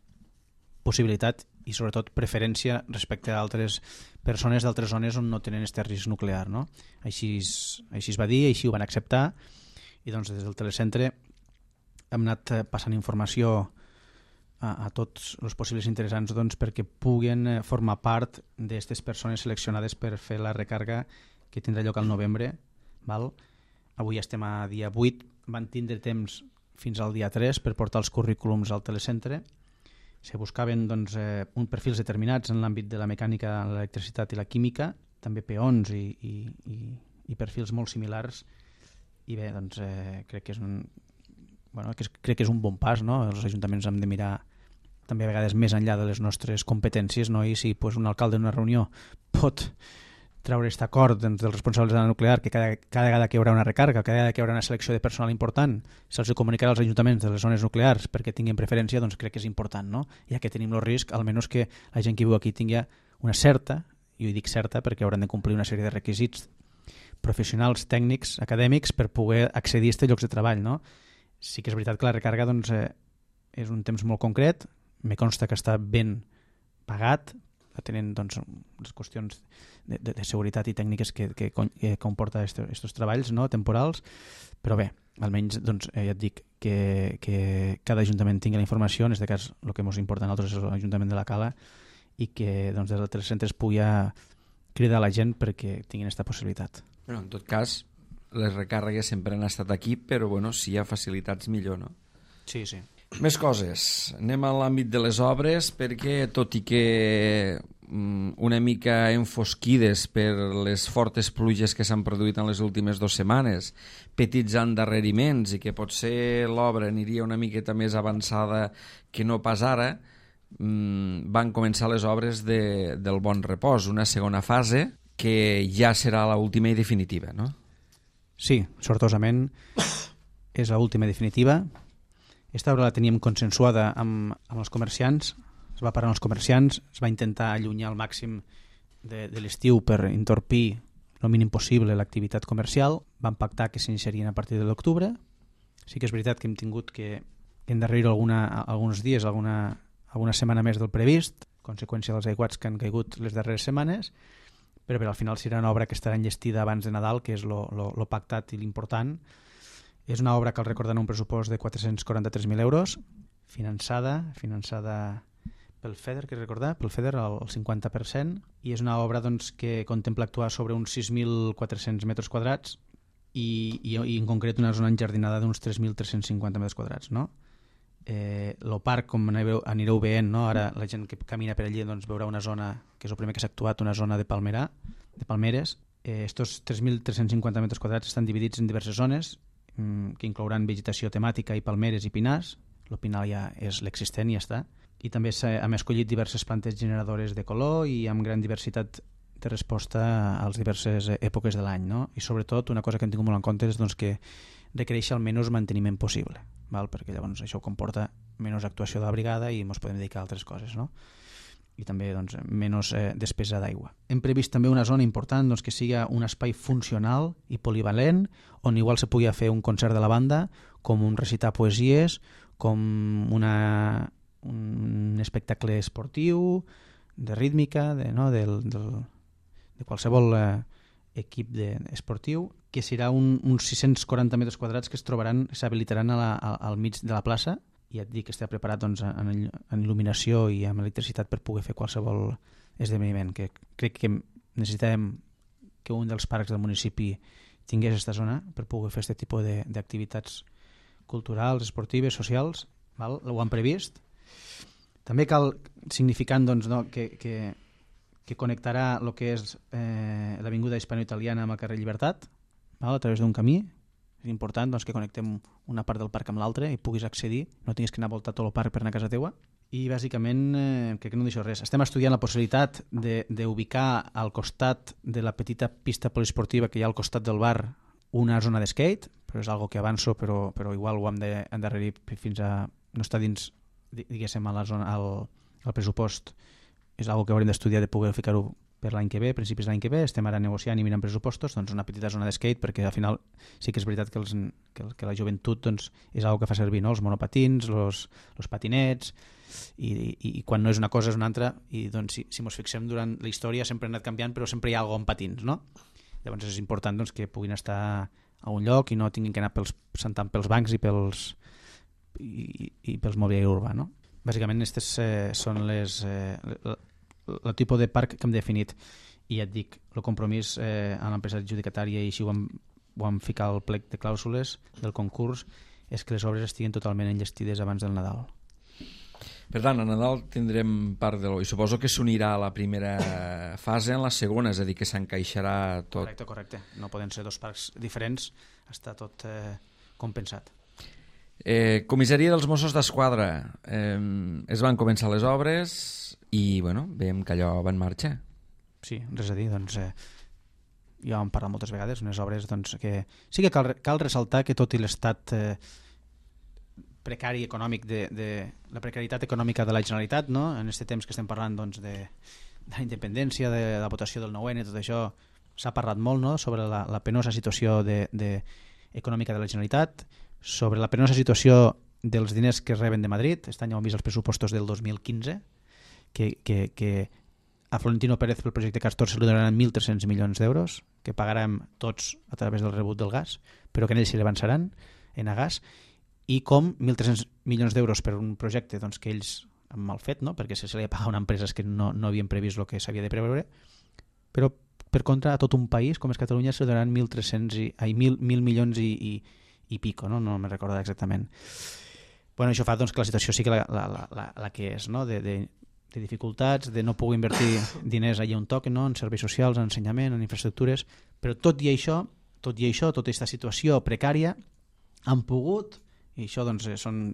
Speaker 3: possibilitat i sobretot preferència respecte a altres persones d'altres zones on no tenen aquest risc nuclear, no? Així, així es va dir, així ho van acceptar, i doncs des del telecentre hem anat passant informació a, a tots els possibles interessants doncs, perquè puguen formar part d'aquestes persones seleccionades per fer la recàrrega que tindrà lloc al novembre. Val? Avui estem a dia vuit, van tindre temps fins al dia tres per portar els currículums al telecentre. Se buscaven doncs, eh, un perfils determinats en l'àmbit de la mecànica, l'electricitat i la química, també peons i, i, i, i perfils molt similars, i bé, doncs eh, crec que és un bueno, que és, crec que és un bon pas, no? Els ajuntaments hem de mirar també a vegades més enllà de les nostres competències, no? I si pues, un alcalde en una reunió pot treure aquest acord doncs, dels responsables de la nuclear que cada, cada vegada que hi haurà una recàrrega, cada vegada que hi haurà una selecció de personal important, se'ls comunicarà als ajuntaments de les zones nuclears perquè tinguin preferència, doncs crec que és important, no? Ja que tenim el risc, almenys que la gent que viu aquí tingui una certa, i ho dic certa perquè hauran de complir una sèrie de requisits professionals, tècnics, acadèmics per poder accedir a aquests llocs de treball, no? Sí que és veritat que la recàrrega doncs, eh, és un temps molt concret, me consta que està ben pagat, atenent doncs, les qüestions de, de, de seguretat i tècniques que, que, que comporta aquests treballs no? temporals, però bé, almenys doncs, eh, ja et dic que, que cada ajuntament tingui la informació, en aquest cas el que ens importa a nosaltres és l'Ajuntament de la Cala, i que doncs, des dels telecentres pugui cridar a la gent perquè tinguin aquesta possibilitat.
Speaker 1: Bueno, en tot cas, les recàrregues sempre han estat aquí, però bueno, si hi ha facilitats millor, no?
Speaker 3: Sí, sí.
Speaker 1: Més coses. Anem a l'àmbit de les obres, perquè tot i que mm, una mica enfosquides per les fortes pluges que s'han produït en les últimes dues setmanes, petits endarreriments i que potser l'obra aniria una miqueta més avançada que no pas ara, mm, van començar les obres de, del Bon Repòs, una segona fase que ja serà l'última i definitiva, no?
Speaker 3: Sí, sortosament és l'última definitiva. Aquesta obra la teníem consensuada amb, amb els comerciants, es va parlar amb els comerciants, es va intentar allunyar al màxim de, de l'estiu per entorpir el mínim possible l'activitat comercial. Vam pactar que s'iniciarien a partir de l'octubre. Sí que és veritat que hem tingut que endarrerir alguna, alguns dies, alguna, alguna setmana més del previst, conseqüència dels aiguats que han caigut les darreres setmanes, però bé, al final serà una obra que estarà enllestida abans de Nadal, que és lo, lo, lo pactat i l'important. És una obra, cal recordar, en un pressupost de quatre-cents quaranta-tres mil euros, finançada, finançada pel FEDER, que recordar, pel FEDER al cinquanta per cent, i és una obra doncs, que contempla actuar sobre uns sis mil quatre-cents metres quadrats i, i, i en concret una zona enjardinada d'uns tres mil tres-cents cinquanta metres quadrats, no? Eh, el parc, com anireu, anireu veient, no? Ara la gent que camina per allí doncs, veurà una zona, que és el primer que s'ha actuat, una zona de palmerà, de palmeres. Eh, estos tres mil tres-cents cinquanta metres quadrats estan dividits en diverses zones mm, que inclouran vegetació temàtica i palmeres i pinars. El pinar ja és l'existent i ja està. I també hem escollit diverses plantes generadores de color i amb gran diversitat de resposta a les diverses èpoques de l'any, no? I sobretot una cosa que hem tingut molt en compte és doncs, que requereix el menys manteniment possible, val? Perquè llavors això comporta menys actuació de la brigada i ens podem dedicar a altres coses, no? I també doncs, menys eh, despesa d'aigua. Hem previst també una zona important doncs, que sigui un espai funcional i polivalent, on igual se pugui fer un concert de la banda, com un recitar poesies, com una, un espectacle esportiu, de rítmica, de, no? del, del, de qualsevol eh, equip de, esportiu, que serà un, uns sis-cents quaranta metres quadrats que es trobaran, s'habilitaran a la, a, al mig de la plaça, i et dic que està preparat doncs, en, en il·luminació i amb electricitat per poder fer qualsevol esdeveniment, que crec que necessitàvem que un dels parcs del municipi tingués aquesta zona per poder fer aquest tipus d'activitats culturals, esportives, socials, val? Ho han previst. També cal, significant doncs, no, que, que, que connectarà el que és eh, l'avinguda hispano-italiana amb el carrer Llibertat, val? A través d'un camí. És important doncs, que connectem una part del parc amb l'altra i puguis accedir, no tinguis que anar a voltar tot el parc per anar a casa teua. I bàsicament, eh, crec que no deixo res. Estem estudiant la possibilitat d'ubicar al costat de la petita pista poliesportiva que hi ha al costat del bar una zona de skate, però és algo que avanço, però, però igual ho hem d'endarrerir fins a... no està dins, diguéssim, a la zona, al, al pressupost. És algo que haurem d'estudiar de poder ficar-ho per l'any que ve, principis de l'any que ve. Estem ara negociant i mirant pressupostos, doncs una petita zona de skate, perquè al final sí que és veritat que, els, que, que la joventut doncs, és algo que fa servir, no? Els monopatins, els, els patinets, i, i, i quan no és una cosa és una altra, i doncs, si, si ens fixem durant la història sempre ha anat canviant, però sempre hi ha alguna cosa amb patins, no? Llavors és important doncs, que puguin estar a un lloc i no tinguin que anar pels, sentant pels bancs i pels, i, i pels mobiliari urbà, no? Bàsicament aquestes eh, són les... Eh, el tipus de parc que hem definit, i ja et dic, el compromís eh, amb l'empresa adjudicatària, i així ho hem, ho hem ficat al plec de clàusules del concurs, és que les obres estiguin totalment enllestides abans del Nadal.
Speaker 1: Per tant, a Nadal tindrem part de l'O I suposo que s'unirà a la primera fase en la segona, és a dir, que s'encaixarà tot.
Speaker 3: Correcte, correcte. No poden ser dos parcs diferents, està tot eh, compensat.
Speaker 1: Eh, comissaria dels Mossos d'Esquadra. Eh, es van començar les obres i bueno, veiem que allò va en marxa.
Speaker 3: Sí, res a dir, doncs eh, ja vam parlar moltes vegades, unes obres doncs, que sí que cal, cal ressaltar que tot i l'estat eh, precari econòmic de, de la precarietat econòmica de la Generalitat, no? En aquest temps que estem parlant doncs, de, de la independència, de la votació del nou ene, tot això s'ha parlat molt, no? Sobre la, la penosa situació de, de, econòmica de la Generalitat, sobre la penosa situació dels diners que reben de Madrid. Aquest any hem vist els pressupostos del dos mil quinze, que, que, que a Florentino Pérez pel projecte Castor se li donaran mil tres-cents milions d'euros, que pagarem tots a través del rebut del gas, però que en ells se l'avançaran en a gas, i com mil tres-cents milions d'euros per un projecte doncs, que ells han mal fet, no? Perquè se li ha pagat a empreses que no, no havien previst el que s'havia de preveure, però per contra a tot un país com és Catalunya se li donaran mil tres-cents i, ai, mil, mil milions i, i, i pico, no? No me'n recordo exactament. Bueno, això fa doncs, que la situació sigui la, la, la, la, la que és, no? de, de, de dificultats, de no poder invertir diners allà on toquen, no? En serveis socials, en ensenyament, en infraestructures, però tot i això, tot i això, tota aquesta situació precària, han pogut, i això doncs, són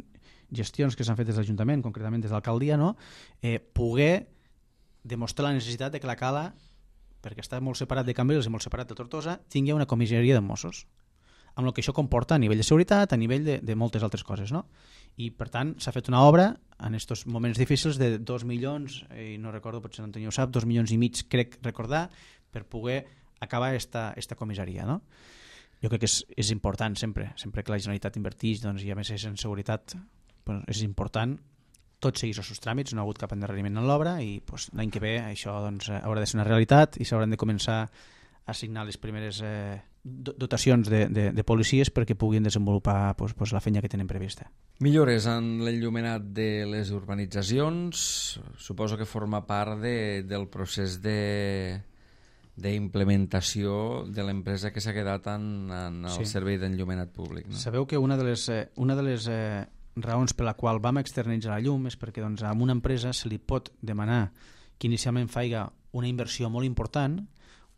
Speaker 3: gestions que s'han fet des de l'Ajuntament, concretament des de l'alcaldia, no? eh, poder demostrar la necessitat de que la Cala, perquè està molt separat de Cambrils i molt separat de Tortosa, tingui una comissaria de Mossos, amb el que això comporta a nivell de seguretat, a nivell de, de moltes altres coses, no? I per tant s'ha fet una obra en aquests moments difícils de dos milions, i no recordo, potser l'Antonio ho sap, dos milions i mig crec recordar, per poder acabar esta, esta comissaria, no? Jo crec que és, és important sempre, sempre que la Generalitat inverteix, doncs, i a més és en seguretat, doncs, és important tot seguir els seus tràmits, no ha hagut cap endarreriment en l'obra, i doncs, l'any que ve això doncs, haurà de ser una realitat i s'hauran de començar a assignar les primeres eh, dotacions de, de, de policies perquè puguin desenvolupar doncs, doncs, la feina que tenen prevista.
Speaker 1: Millores en l'enllumenat de les urbanitzacions, suposo que forma part de, del procés de d'implementació de l'empresa que s'ha quedat en, en el sí. servei d'enllumenat públic. No?
Speaker 3: Sabeu que una de les, eh, una de les eh, raons per la qual vam externalitzar la llum és perquè doncs, a una empresa se li pot demanar que inicialment faiga una inversió molt important,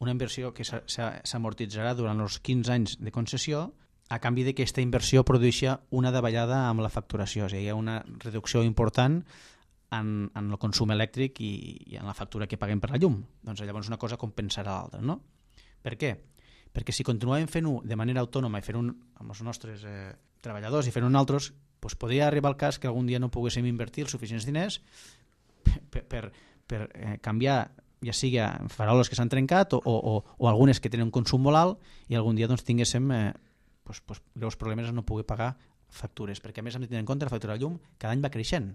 Speaker 3: una inversió que s'amortitzarà durant els quinze anys de concessió, a canvi de que aquesta inversió produeixi una davallada amb la facturació, és a dir, hi ha una reducció important en, en el consum elèctric i, i en la factura que paguem per la llum. Doncs llavors una cosa compensarà l'altra, no? Per què? Perquè si continuem fent-ho de manera autònoma i fent-ho amb els nostres eh, treballadors i fent-ho en altres, doncs podria arribar al cas que algun dia no poguéssim invertir els suficients diners per, per, per eh, canviar, ja sigui faroles que s'han trencat o, o, o, o algunes que tenen un consum molt alt i algun dia doncs, tinguéssim eh, doncs, doncs, greus problemes a no poder pagar factures, perquè a més hem de tenir en compte la factura de llum cada any va creixent.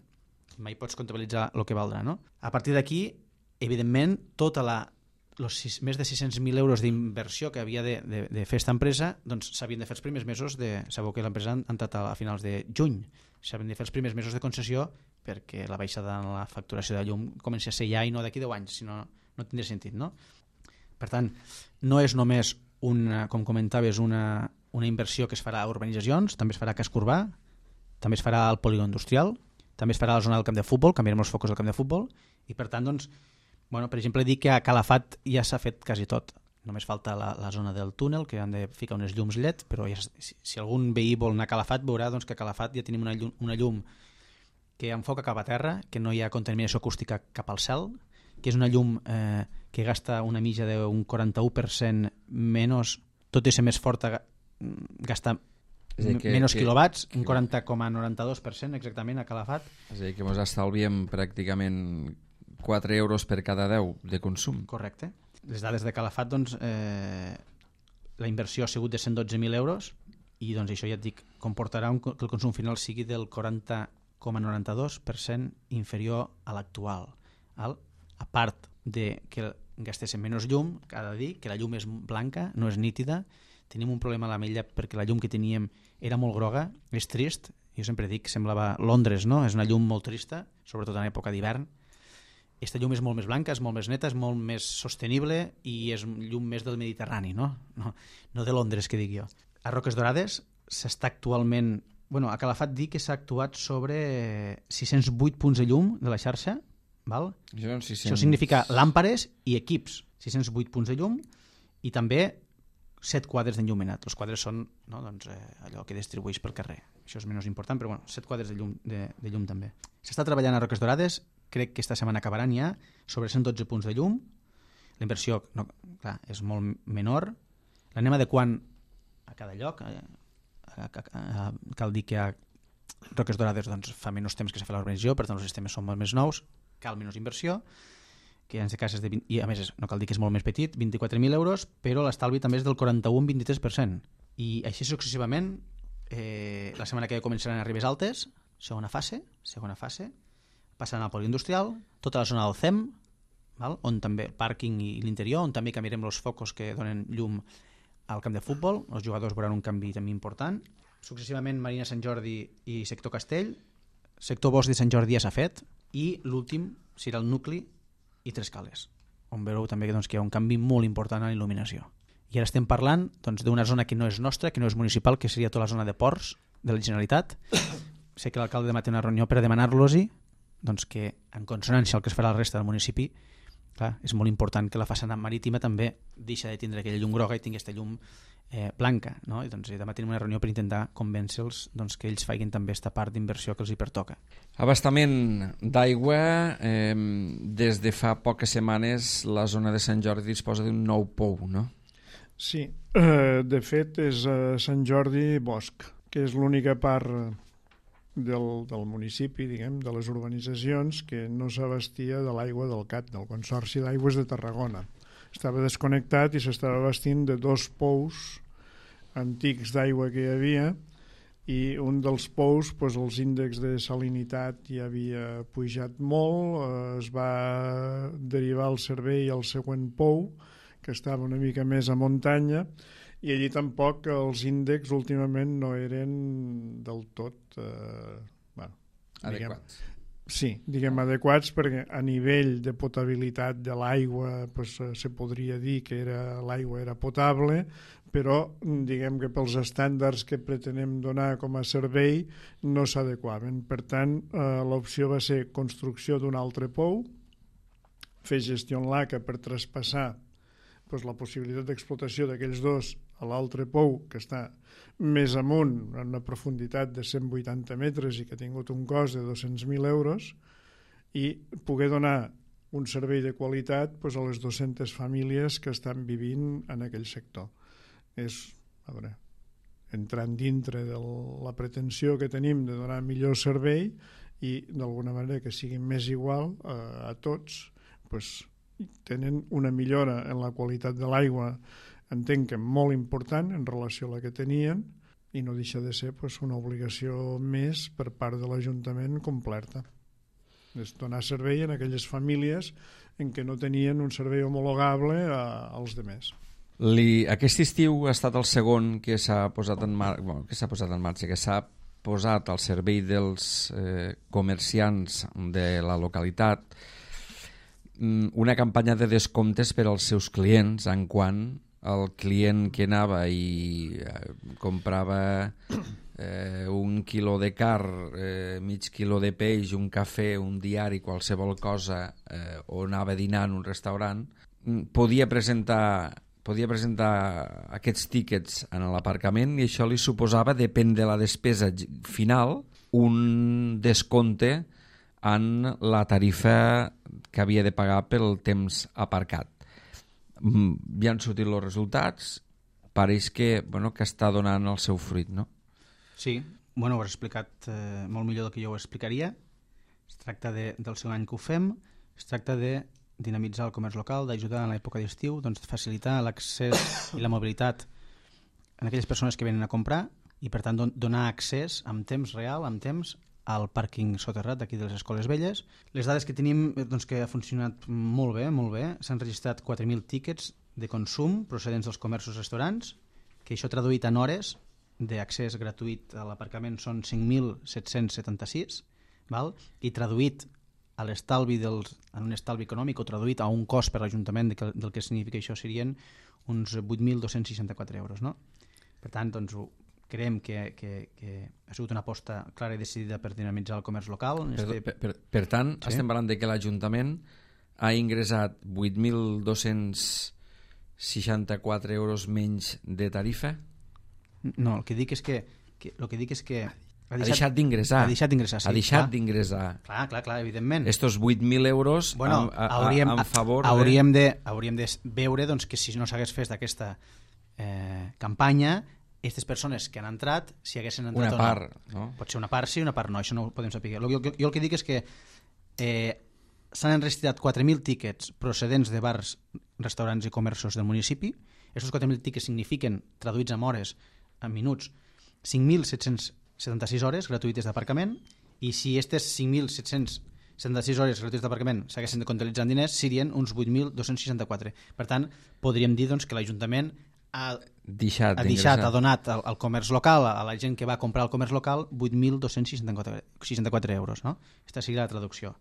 Speaker 3: Mai pots comptabilitzar el que valdrà, no? A partir d'aquí, evidentment, tota la, los sis, més de sis-cents mil euros d'inversió que havia de, de, de fer aquesta empresa, doncs s'havien de fer els primers mesos de... Sabeu que l'empresa ha entrat a, a finals de juny. S'havien de fer els primers mesos de concessió perquè la baixada en la facturació de llum comenci a ser ja i no d'aquí deu anys, si no, no tindria sentit, no? Per tant, no és només, una, com comentaves, una, una inversió que es farà a urbanitzacions, també es farà a casc urbà, també es farà al polígon industrial, també es farà a la zona del camp de futbol, canviarem els focus del camp de futbol, i per tant, doncs, bueno, per exemple, dic que a Calafat ja s'ha fet quasi tot. Només falta la, la zona del túnel, que han de ficar unes llums L E D, però ja, si, si algun veí vol anar a Calafat, veurà doncs, que a Calafat ja tenim una llum, una llum que enfoca cap a terra, que no hi ha contaminació acústica cap al cel, que és una llum eh, que gasta una mitja d'un quaranta-u per cent menys, tot i ser més forta, gasta que, menys que, quilowatts, un quaranta coma noranta-dos per cent exactament a Calafat.
Speaker 1: És a dir, que ens estalviem pràcticament quatre euros per cada deu de consum.
Speaker 3: Correcte. Les dades de Calafat, doncs, eh, la inversió ha sigut de cent dotze mil euros i doncs, això ja et dic, comportarà un, que el consum final sigui del quaranta coma noranta-dos per cent inferior a l'actual. A part de que gastéssim menys llum, cada dir que la llum és blanca, no és nítida, tenim un problema a l'Ametlla perquè la llum que teníem era molt groga, és trist, jo sempre dic que semblava Londres, no? És una llum molt trista, sobretot en època d'hivern. Aquesta llum és molt més blanca, és molt més neta, és molt més sostenible i és llum més del Mediterrani, no? No, no de Londres, que dic jo. A Roques Dorades s'està actualment... Bueno, a Calafat dic que s'ha actuat sobre sis-cents vuit punts de llum de la xarxa, val?
Speaker 1: Això, sis cents...
Speaker 3: Això significa làmpades i equips, sis-cents vuit punts de llum i també set quadres d'enllumenat. Els quadres són, no, doncs, eh, allò que distribueix pel carrer. Això és menys important, però bueno, set quadres de llum, de, de llum també. S'està treballant a Roques Dorades, crec que esta setmana acabaran ja, sobre cent dotze punts de llum. La inversió, no, clar, és molt menor. L'anem adequant a cada lloc. Eh, a, a, a, cal dir que a Roques Dorades doncs, fa menys temps que s'ha fet l'organització, per tant els sistemes són molt més nous, cal menys inversió, que en aquest cas és de vint, i a més no cal dir que és molt més petit, vint-i-quatre mil euros, però l'estalvi també és del quaranta-u coma vint-i-tres per cent. I així successivament, eh, la setmana que ve començaran a Ribes Altes, segona fase, segona fase, passaran al poliindustrial, tota la zona del C E M, val? On també el pàrquing i l'interior, on també canviarem els focus que donen llum al camp de futbol, els jugadors veuran un canvi també important. Successivament Marina Sant Jordi i sector Castell, sector Bosc de Sant Jordi ja s'ha fet, i l'últim serà el nucli i Tres Cales, on veureu també doncs, que hi ha un canvi molt important en il·luminació. I ara estem parlant doncs, d'una zona que no és nostra, que no és municipal, que seria tota la zona de ports de la Generalitat. Sé que l'alcalde demà té una reunió per demanar-los-hi doncs, que en consonància al que es farà la resta del municipi, clar, és molt important que la façana marítima també deixa de tindre aquella llum groga i tingui aquesta llum eh, blanca, no? I doncs, demà tenim una reunió per intentar convèncer-los doncs, que ells facin també aquesta part d'inversió que els hi pertoca.
Speaker 1: Abastament d'aigua, eh, des de fa poques setmanes la zona de Sant Jordi disposa d'un nou pou, no?
Speaker 2: Sí, eh, de fet és a Sant Jordi Bosc, que és l'única part del, del municipi, diguem, de les urbanitzacions que no s'abastia de l'aigua del C A T, del Consorci d'Aigües de Tarragona. Estava desconnectat i s'estava abastint de dos pous antics d'aigua que hi havia i un dels pous, doncs, els índexs de salinitat ja havia pujat molt, eh, es va derivar el servei al següent pou, que estava una mica més a muntanya, i allí tampoc els índexs últimament no eren del tot eh, bueno,
Speaker 1: adequats.
Speaker 2: Diguem, sí, diguem adequats, perquè a nivell de potabilitat de l'aigua pues, se podria dir que era, l'aigua era potable, però diguem que pels estàndards que pretenem donar com a servei no s'adequaven. Per tant, eh, l'opció va ser construcció d'un altre pou, fer gestió en l'A C A per traspassar pues, la possibilitat d'explotació d'aquells dos a l'altre pou, que està més amunt, en una profunditat de cent vuitanta metres i que ha tingut un cost de dos-cents mil euros, i poder donar un servei de qualitat pues, a les dues-centes famílies que estan vivint en aquell sector. És, a veure, entrant dintre de la pretensió que tenim de donar millor servei i d'alguna manera que sigui més igual a, a tots, pues, tenen una millora en la qualitat de l'aigua, entenc que molt important en relació a la que tenien, i no deixa de ser pues, una obligació més per part de l'Ajuntament completa. És donar servei en aquelles famílies en què no tenien un servei homologable a, als demés.
Speaker 1: Li, aquest estiu ha estat el segon que s'ha posat en mar... bueno, que s'ha posat en marxa, que s'ha posat al servei dels eh, comerciants de la localitat una campanya de descomptes per als seus clients, en quant el client que anava i eh, comprava eh, un quilo de carn, eh, mig quilo de peix, un cafè, un diari, qualsevol cosa, eh, o anava a dinar en un restaurant, podia presentar podia presentar aquests tíquets en l'aparcament i això li suposava, depèn de la despesa final, un descompte en la tarifa que havia de pagar pel temps aparcat. Ja han sortit els resultats, pareix que, bueno, que està donant el seu fruit, no?
Speaker 3: Sí, bueno, ho has explicat eh, molt millor del que jo ho explicaria. Es tracta de, del segon any que ho fem, es tracta de dinamitzar el comerç local, d'ajudar en l'època d'estiu, doncs facilitar l'accés i la mobilitat en aquelles persones que venen a comprar i per tant don donar accés amb temps real, amb temps, al pàrquing soterrat d'aquí de les Escoles Velles. Les dades que tenim, doncs, que ha funcionat molt bé, molt bé. S'han registrat quatre mil tíquets de consum procedents dels comerços i restaurants, que això traduït en hores d'accés gratuït a l'aparcament són cinc mil set-cents setanta-sis, val? I traduït a l'estalvi dels, en un estalvi econòmic o traduït a un cost per l'Ajuntament de, del que significa això serien uns vuit mil dos-cents seixanta-quatre euros. No? Per tant, doncs, creiem que, que, que ha sigut una aposta clara i decidida per dinamitzar el comerç local.
Speaker 1: Per,
Speaker 3: este...
Speaker 1: per, per, per tant, sí? Estem parlant de que l'Ajuntament ha ingressat vuit mil dos-cents seixanta-quatre euros menys de tarifa?
Speaker 3: No, el que dic és que, que, el que, dic és que
Speaker 1: ha deixat, ha deixat d'ingressar.
Speaker 3: Ha deixat d'ingressar, sí.
Speaker 1: Ha deixat d'ingressar.
Speaker 3: Clar, clar, clar, evidentment.
Speaker 1: Estos vuit mil euros
Speaker 3: bueno,
Speaker 1: a, a,
Speaker 3: hauríem,
Speaker 1: a, en favor
Speaker 3: hauríem
Speaker 1: de...
Speaker 3: de... Hauríem de veure doncs, que si no s'hagués fet aquesta eh, campanya, aquestes persones que han entrat, si haguessin entrat
Speaker 1: una
Speaker 3: o no.
Speaker 1: part, no?
Speaker 3: Pot ser una part sí, una part no, això no ho podem saber. Jo, jo, jo el que dic és que eh, s'han enregistrat quatre mil tíquets procedents de bars, restaurants i comerços del municipi. Aquests quatre mil tíquets signifiquen, traduïts en hores, en minuts, cinc mil set-cents setanta-sis hores gratuïtes d'aparcament, i si aquestes cinc mil set-cents setanta-sis hores gratuïtes d'aparcament s'haguessin de comptabilitzar en diners, serien uns vuit mil dos-cents seixanta-quatre. Per tant, podríem dir doncs, que l'Ajuntament ha
Speaker 1: deixat,
Speaker 3: ha, deixat, ha donat al, al comerç local, a la gent que va comprar al comerç local, vuit mil dos-cents seixanta-quatre euros. No? Aquesta seria la traducció.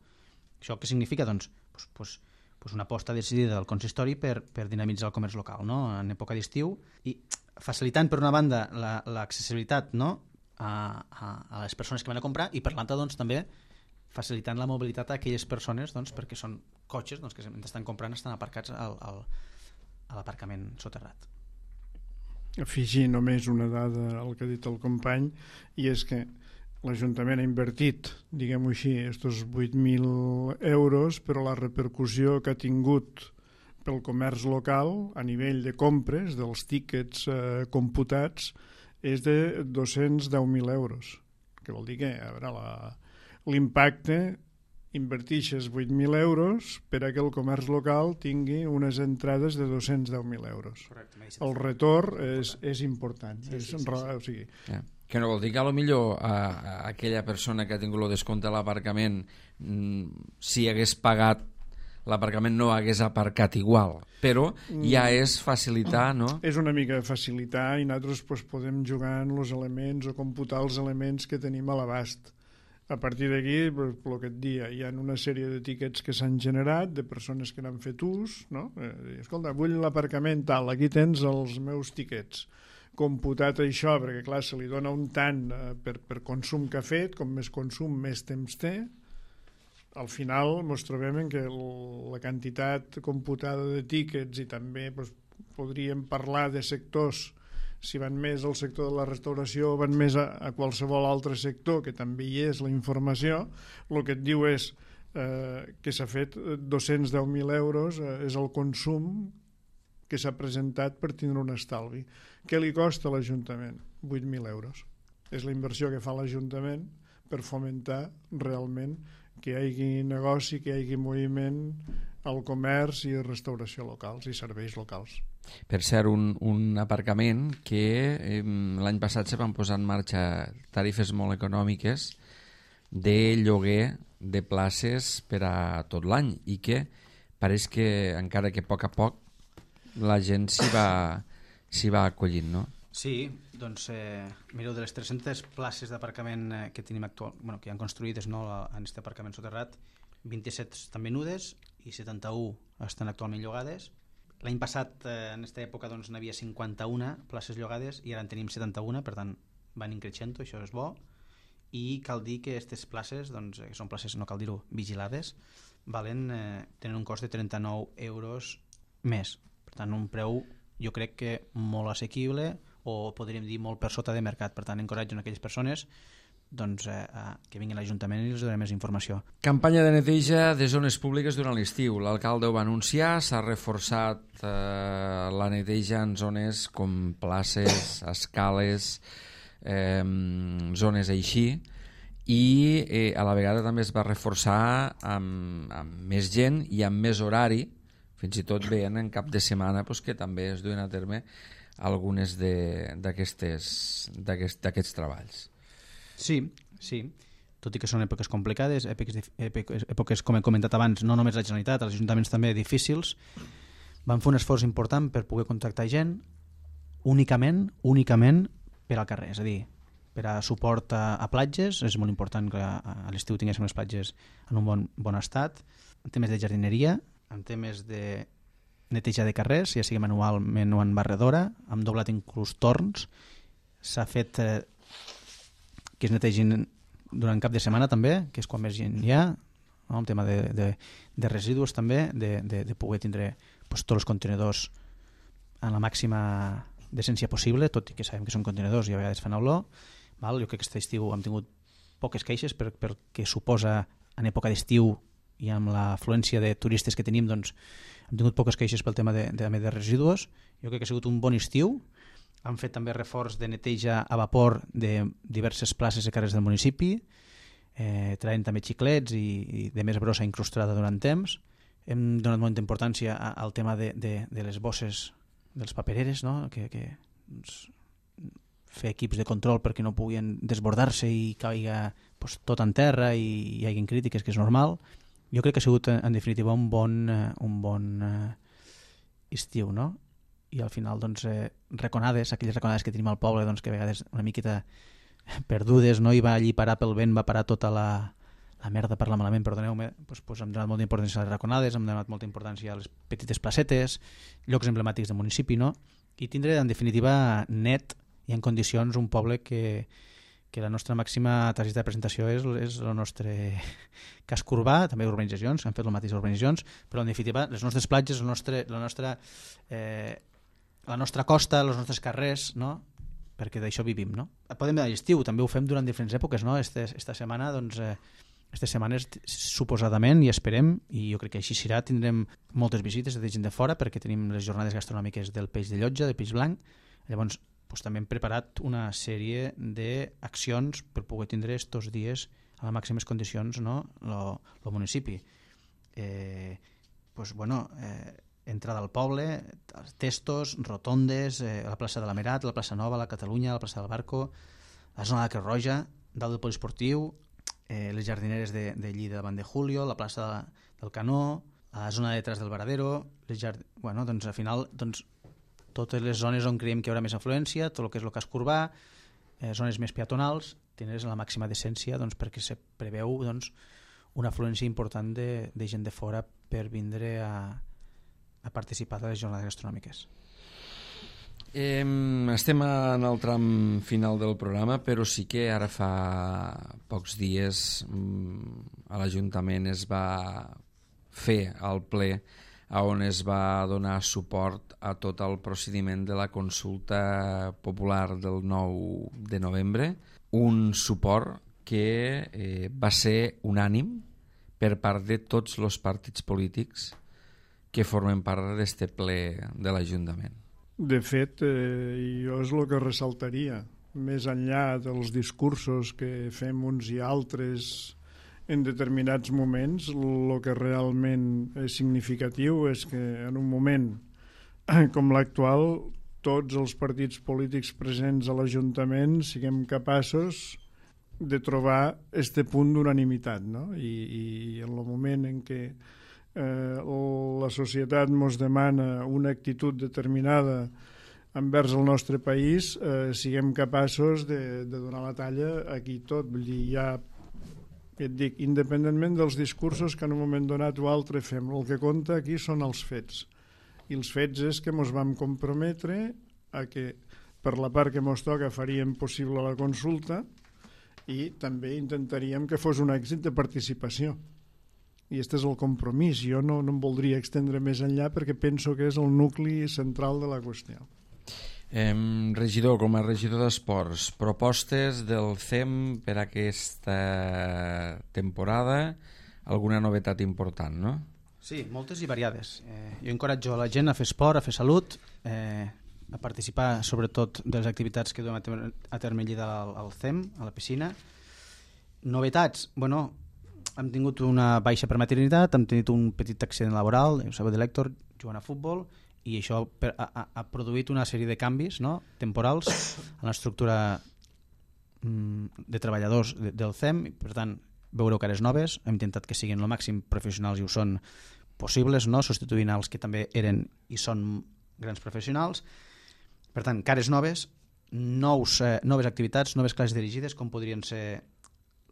Speaker 3: Això què significa? Doncs, pues, pues, pues una aposta decidida del consistori per, per dinamitzar el comerç local, no? En època d'estiu, i facilitant per una banda l'accessibilitat, no? a, a, a les persones que van a comprar, i per l'altra doncs, també facilitant la mobilitat a aquelles persones doncs, perquè són cotxes doncs, que estan comprant, estan aparcats al, al, a l'aparcament soterrat.
Speaker 2: Afegir només una dada al que ha dit el company, i és que l'Ajuntament ha invertit, diguem-ho així, estos vuit mil euros, però la repercussió que ha tingut pel comerç local a nivell de compres dels tíquets eh, computats és de dos-cents deu mil euros, que vol dir que a veure, l'impacte invertixes vuit mil euros per a que el comerç local tingui unes entrades de dos-cents deu mil euros. Correcte, el retorn és, és important. Sí, és, sí, sí, sí. O sigui,
Speaker 1: yeah. Que no vol dir que a lo millor a, a aquella persona que ha tingut el descompte a l'aparcament, mm, si hagués pagat l'aparcament no hagués aparcat igual, però ja és facilitar, no?
Speaker 2: És una mica facilitar, i nosaltres pues, podem jugar en els elements o computar els elements que tenim a l'abast. A partir d'aquí, pues, el que et dia, hi ha una sèrie de tíquets que s'han generat, de persones que n'han fet ús, no? Eh, escolta, vull l'aparcament tal, aquí tens els meus tíquets. Computat això, perquè clar, se li dona un tant eh, per, per consum que ha fet, com més consum, més temps té. Al final ens trobem en que el, la quantitat computada de tíquets, i també pues, podríem parlar de sectors, si van més al sector de la restauració o van més a, a qualsevol altre sector, que també hi és la informació, el que et diu és eh, que s'ha fet dos-cents deu mil euros, eh, és el consum que s'ha presentat per tindre un estalvi. Què li costa a l'Ajuntament? vuit mil euros. És la inversió que fa l'Ajuntament per fomentar realment que hi hagi negoci, que hi hagi moviment al comerç i restauració locals i serveis locals.
Speaker 1: Per cert, un, un aparcament que eh, l'any passat se van posar en marxa tarifes molt econòmiques de lloguer de places per a tot l'any, i que pareix que encara que a poc a poc la gent s'hi va, s'hi va acollint, no?
Speaker 3: Sí, doncs eh, mireu, de les tres-centes places d'aparcament eh, que tenim actual, bueno, que han construïdes no, en aquest aparcament soterrat, vint-i-set estan venudes i setanta-u estan actualment llogades. L'any passat, eh, en aquesta època, doncs, n'hi havia cinquanta-una places llogades i ara en tenim setanta-una, per tant van increixent, això és bo. I cal dir que aquestes places, doncs, que són places, no cal dir-ho, vigilades, valen, eh, tenen un cost de trenta-nou euros més. Per tant, un preu, jo crec que molt assequible, o podríem dir molt per sota de mercat. Per tant, encoratgen aquelles persones doncs, eh, que vinguin a l'Ajuntament i els donarem més informació.
Speaker 1: Campanya de neteja de zones públiques durant l'estiu. L'alcalde ho va anunciar, s'ha reforçat eh, la neteja en zones com places, escales, eh, zones així, i eh, a la vegada també es va reforçar amb, amb més gent i amb més horari, fins i tot veient en cap de setmana pues, que també es duen a terme algunes d'aquests d'aquests treballs.
Speaker 3: Sí, sí, tot i que són èpoques complicades, èpoques, èpoques, èpoques, com he comentat abans, no només la Generalitat, els ajuntaments també difícils, van fer un esforç important per poder contractar gent únicament, únicament per al carrer, és a dir, per a suport a, a platges, és molt important que a, a l'estiu tinguéssim les platges en un bon, bon estat, en temes de jardineria, en temes de neteja de carrers, ja sigui manualment o en barredora, hem doblat inclús torns, s'ha fet... Eh, que es netegin durant cap de setmana també, que és quan més gent hi ha, no? Un tema de, de, de residus també, de, de, de poder tindre pues, tots els contenidors en la màxima decència possible, tot i que sabem que són contenidors i a vegades fan olor. Val? Jo crec que aquest estiu hem tingut poques queixes per, per que suposa en època d'estiu i amb l'afluència de turistes que tenim, doncs hem tingut poques queixes pel tema de, de, de residus. Jo crec que ha sigut un bon estiu. Han fet també reforç de neteja a vapor de diverses places i carrers del municipi, eh, traient també xiclets i, i de més brossa incrustada durant temps. Hem donat molta importància al tema de, de, de les bosses dels papereres, no? que, que doncs, fer equips de control perquè no puguin desbordar-se i caiga pues, tot en terra i hi hagi crítiques, que és normal. Jo crec que ha sigut, en definitiva, un bon, un bon eh, estiu, no? I al final doncs, eh, reconades, aquelles reconades que tenim al poble, doncs, que a vegades una miqueta perdudes, no? I va allí parar pel vent, va parar tota la, la merda, parla malament, perdoneu-me, doncs, doncs hem donat molta importància a les raconades, hem donat molta importància a les petites placetes, llocs emblemàtics del municipi, no? I tindre en definitiva net i en condicions un poble que, que la nostra màxima targeta de presentació és, és el nostre casc urbà, també urbanitzacions, han fet el mateix urbanitzacions, però en definitiva les nostres platges, el nostre, la nostra... Eh, la nostra costa, els nostres carrers, no? Perquè d'això vivim, no? Podem dir a l'estiu, també ho fem durant diferents èpoques, no? Este, esta setmana, doncs, eh, aquestes setmanes suposadament, i esperem, i jo crec que així serà, tindrem moltes visites de gent de fora, perquè tenim les jornades gastronòmiques del peix de Llotja, del peix blanc. Llavors, doncs, també hem preparat una sèrie d'accions per poder tindre estos dies a les màximes condicions, no? Lo, lo municipi. Eh, doncs, bueno... Eh, entrada al poble, testos, rotondes, eh, la plaça de la Merat, la plaça Nova, la Catalunya, la plaça del Barco, la zona de Creu Roja, dalt del poliesportiu, eh, les jardineres de, de Lleida davant de Julio, la plaça de, del Canó, la zona de detrás del Varadero, les jard... bueno, doncs al final doncs, totes les zones on creiem que hi haurà més afluència, tot el que és el casc urbà, eh, zones més peatonals, tindràs la màxima decència doncs, perquè se preveu doncs, una afluència important de, de gent de fora per vindre a a participar de les jornades gastronòmiques.
Speaker 1: Eh, estem en el tram final del programa, però sí que ara fa pocs dies a l'Ajuntament es va fer el ple on es va donar suport a tot el procediment de la consulta popular del nou de novembre, un suport que eh, va ser unànim per part de tots els partits polítics que formen part d'este ple de l'Ajuntament.
Speaker 2: De fet, eh, jo és el que ressaltaria, més enllà dels discursos que fem uns i altres en determinats moments, el que realment és significatiu és que en un moment com l'actual tots els partits polítics presents a l'Ajuntament siguem capaços de trobar este punt d'unanimitat, no? I, i en el moment en què Eh, la societat ens demana una actitud determinada envers el nostre país, eh, siguem capaços de, de donar la talla aquí tot. Vull dir, ja et dic, independentment dels discursos que en un moment donat o altre fem, el que compta aquí són els fets. I els fets és que ens vam comprometre a que per la part que ens toca faríem possible la consulta i també intentaríem que fos un èxit de participació. I aquest és el compromís. Jo no, no em voldria extendre més enllà perquè penso que és el nucli central de la qüestió.
Speaker 1: Eh, regidor, com a regidor d'esports, propostes del C E M per aquesta temporada, alguna novetat important, no?
Speaker 3: Sí, moltes i variades. Eh, jo encoratjo a la gent a fer esport, a fer salut, eh, a participar sobretot de les activitats que duem a terme, a terme allà al, al C E M, a la piscina. Novetats, bueno, hem tingut una baixa per maternitat, hem tingut un petit accident laboral, ho sabeu de l'Hèctor, jugant a futbol, i això per, ha, ha produït una sèrie de canvis, no?, temporals en l'estructura mm, de treballadors de, del C E M. Per tant, veureu cares noves, hem intentat que siguin el màxim professionals i ho són possibles, no?, substituint els que també eren i són grans professionals. Per tant, cares noves, nous, eh, noves activitats, noves classes dirigides, com podrien ser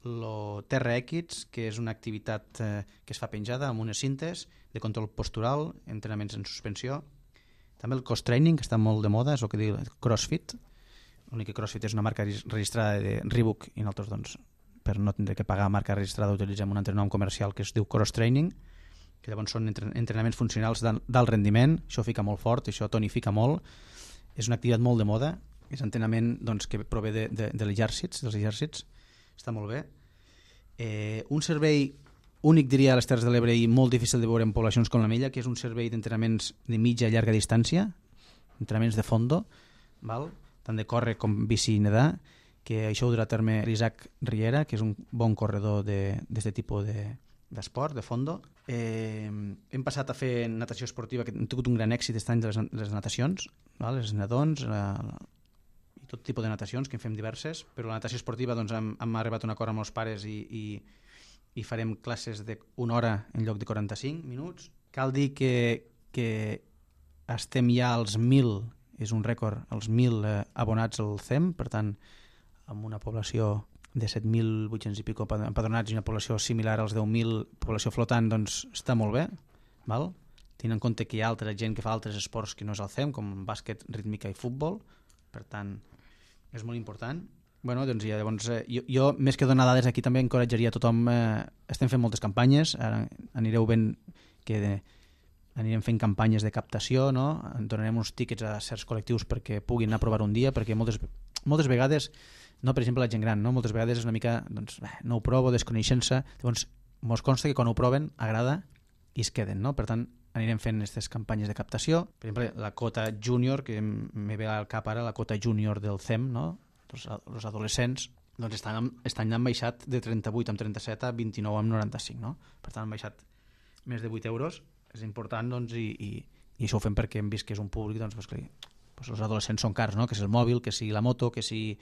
Speaker 3: el T R X, que és una activitat eh, que es fa penjada amb unes cintes de control postural, entrenaments en suspensió. També el cross-training, que està molt de moda, és el que diu CrossFit. L'únic que CrossFit és una marca registrada de Reebok i nosaltres, doncs, per no tindre que pagar marca registrada, utilitzem un altre nom comercial que es diu cross-training, que llavors són entrenaments funcionals d'alt rendiment. Això fica molt fort, això tonifica molt. És una activitat molt de moda, és entrenament, doncs, que prové de, de, de l'exèrcit, dels exèrcits. Està molt bé. Eh, un servei únic, diria, a les Terres de l'Ebre i molt difícil de veure en poblacions com la meva, que és un servei d'entrenaments de mitja i llarga distància, entrenaments de fondo, val? Tant de córrer com bici i nedar, que això ho durà a terme l'Isaac Riera, que és un bon corredor d'aquest tipus d'esport, de, de fondo. Eh, hem passat a fer natació esportiva, que hem tingut un gran èxit aquest any de les, les natacions, val? Les nadons, la, la, i tot tipus de natacions, que en fem diverses, però la natació esportiva doncs, hem, hem arribat a un acord amb els pares i, i, i farem classes d'una hora en lloc de quaranta-cinc minuts. Cal dir que, que estem ja als mil, és un rècord, als mil eh, abonats al C E M, per tant, amb una població de set mil vuit-cents i pico empadronats i una població similar als deu mil, població flotant, doncs està molt bé, val? Tenint en compte que hi ha altra gent que fa altres esports que no és el C E M, com bàsquet, rítmica i futbol, per tant, és molt important. Bueno, doncs ja, llavors, eh, jo, jo, més que donar dades aquí, també encoratjaria a tothom. Eh, estem fent moltes campanyes, ara anireu veient que de, anirem fent campanyes de captació, no? Donarem uns tíquets a certs col·lectius perquè puguin anar a provar un dia, perquè moltes, moltes vegades, no, per exemple, la gent gran, no? Moltes vegades és una mica, doncs, bé, no ho provo, desconeixent-se, llavors mos consta que quan ho proven agrada i es queden, no? Per tant, anirem fent aquestes campanyes de captació. Per exemple, la cota júnior, que me ve al cap ara, la cota júnior del C E M, no? Els, els adolescents, doncs estan, estan han baixat de trenta-vuit amb trenta-set a vint-i-nou amb noranta-cinc, no? Per tant, han baixat més de vuit euros. És important, doncs, i, i, i això ho fem perquè hem vist que és un públic, doncs, pues, que, pues, els adolescents són cars, no? Que si el mòbil, que si la moto, que si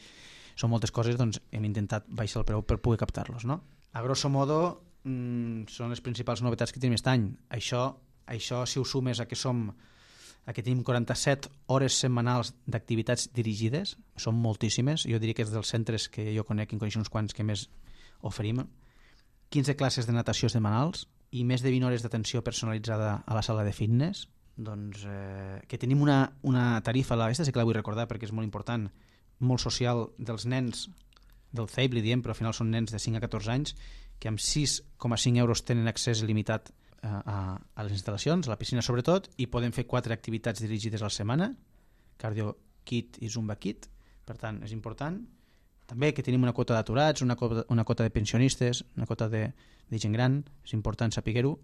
Speaker 3: són moltes coses, doncs hem intentat baixar el preu per poder captar-los, no? A grosso modo, mmm, són les principals novetats que tenim aquest any. Això, això si ho sumes a que som a que tenim quaranta-set hores setmanals d'activitats dirigides, són moltíssimes, jo diria que és dels centres que jo conec, en coneixo uns quants que més oferim, quinze classes de natació setmanals i més de vint hores d'atenció personalitzada a la sala de fitness, doncs eh, que tenim una, una tarifa, aquesta sí que la vull recordar perquè és molt important, molt social, dels nens del C E I B, li diem, però al final són nens de cinc a catorze anys, que amb sis coma cinc euros tenen accés il·limitat A, a les instal·lacions, a la piscina sobretot, i podem fer quatre activitats dirigides a la setmana, cardio kit i zumba kit, per tant és important. També que tenim una quota d'aturats, una, una quota de pensionistes, una quota de, de gent gran, és important saber-ho,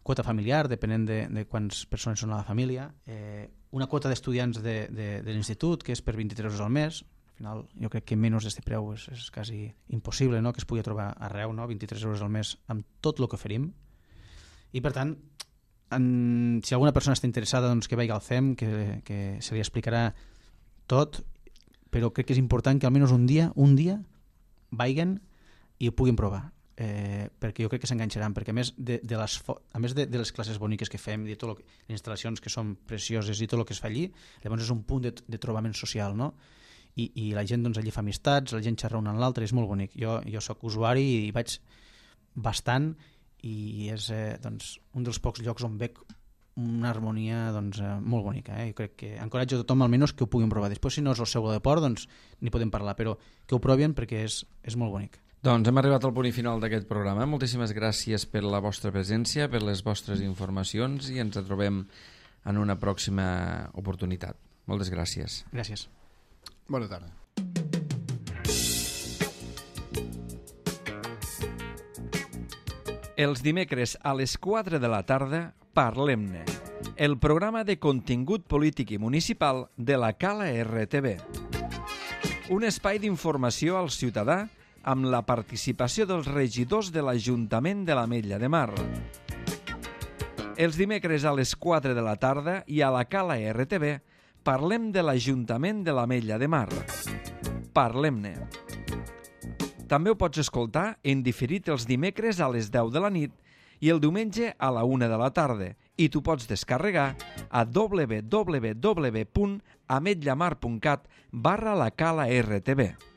Speaker 3: quota familiar, depenent de, de quants persones són a la família, eh, una quota d'estudiants de, de, de l'institut, que és per vint-i-tres euros al mes. Al final jo crec que menys d'aquest preu és, és quasi impossible, no?, que es pugui trobar arreu, no?, vint-i-tres euros al mes amb tot el que oferim. I per tant, en, si alguna persona està interessada, doncs que vagi al C E M, que, que se li explicarà tot, però crec que és important que almenys un dia, un dia, vagin i ho puguin provar, eh, perquè jo crec que s'enganxaran, perquè a més de, de, les, a més de, de les classes boniques que fem, de tot lo que, les instal·lacions que són precioses i tot el que es fa allí, llavors és un punt de, de trobament social, no? I, i la gent doncs, allí fa amistats, la gent xerra un amb l'altre, és molt bonic. Jo, jo soc usuari i vaig bastant i és eh, doncs, un dels pocs llocs on veig una harmonia doncs, eh, molt bonica. Eh? Jo crec que encoratjo a tothom almenys que ho puguin provar. Després, si no és el seu deport, doncs n'hi podem parlar, però que ho provin perquè és, és molt bonic.
Speaker 1: Doncs hem arribat al punt i final d'aquest programa. Moltíssimes gràcies per la vostra presència, per les vostres informacions i ens trobem en una pròxima oportunitat. Moltes gràcies.
Speaker 3: Gràcies.
Speaker 2: Bona tarda.
Speaker 1: Els dimecres a les quatre de la tarda, Parlem-ne, el programa de contingut polític i municipal de la Cala R T V. Un espai d'informació al ciutadà amb la participació dels regidors de l'Ajuntament de l'Ametlla de Mar. Els dimecres a les quatre de la tarda i a la Cala R T V parlem de l'Ajuntament de l'Ametlla de Mar. Parlem-ne. També ho pots escoltar en diferit els dimecres a les deu de la nit i el diumenge a la una de la tarda i t'ho pots descarregar a w w w punt ametllamar punt cat barra la Cala R T V.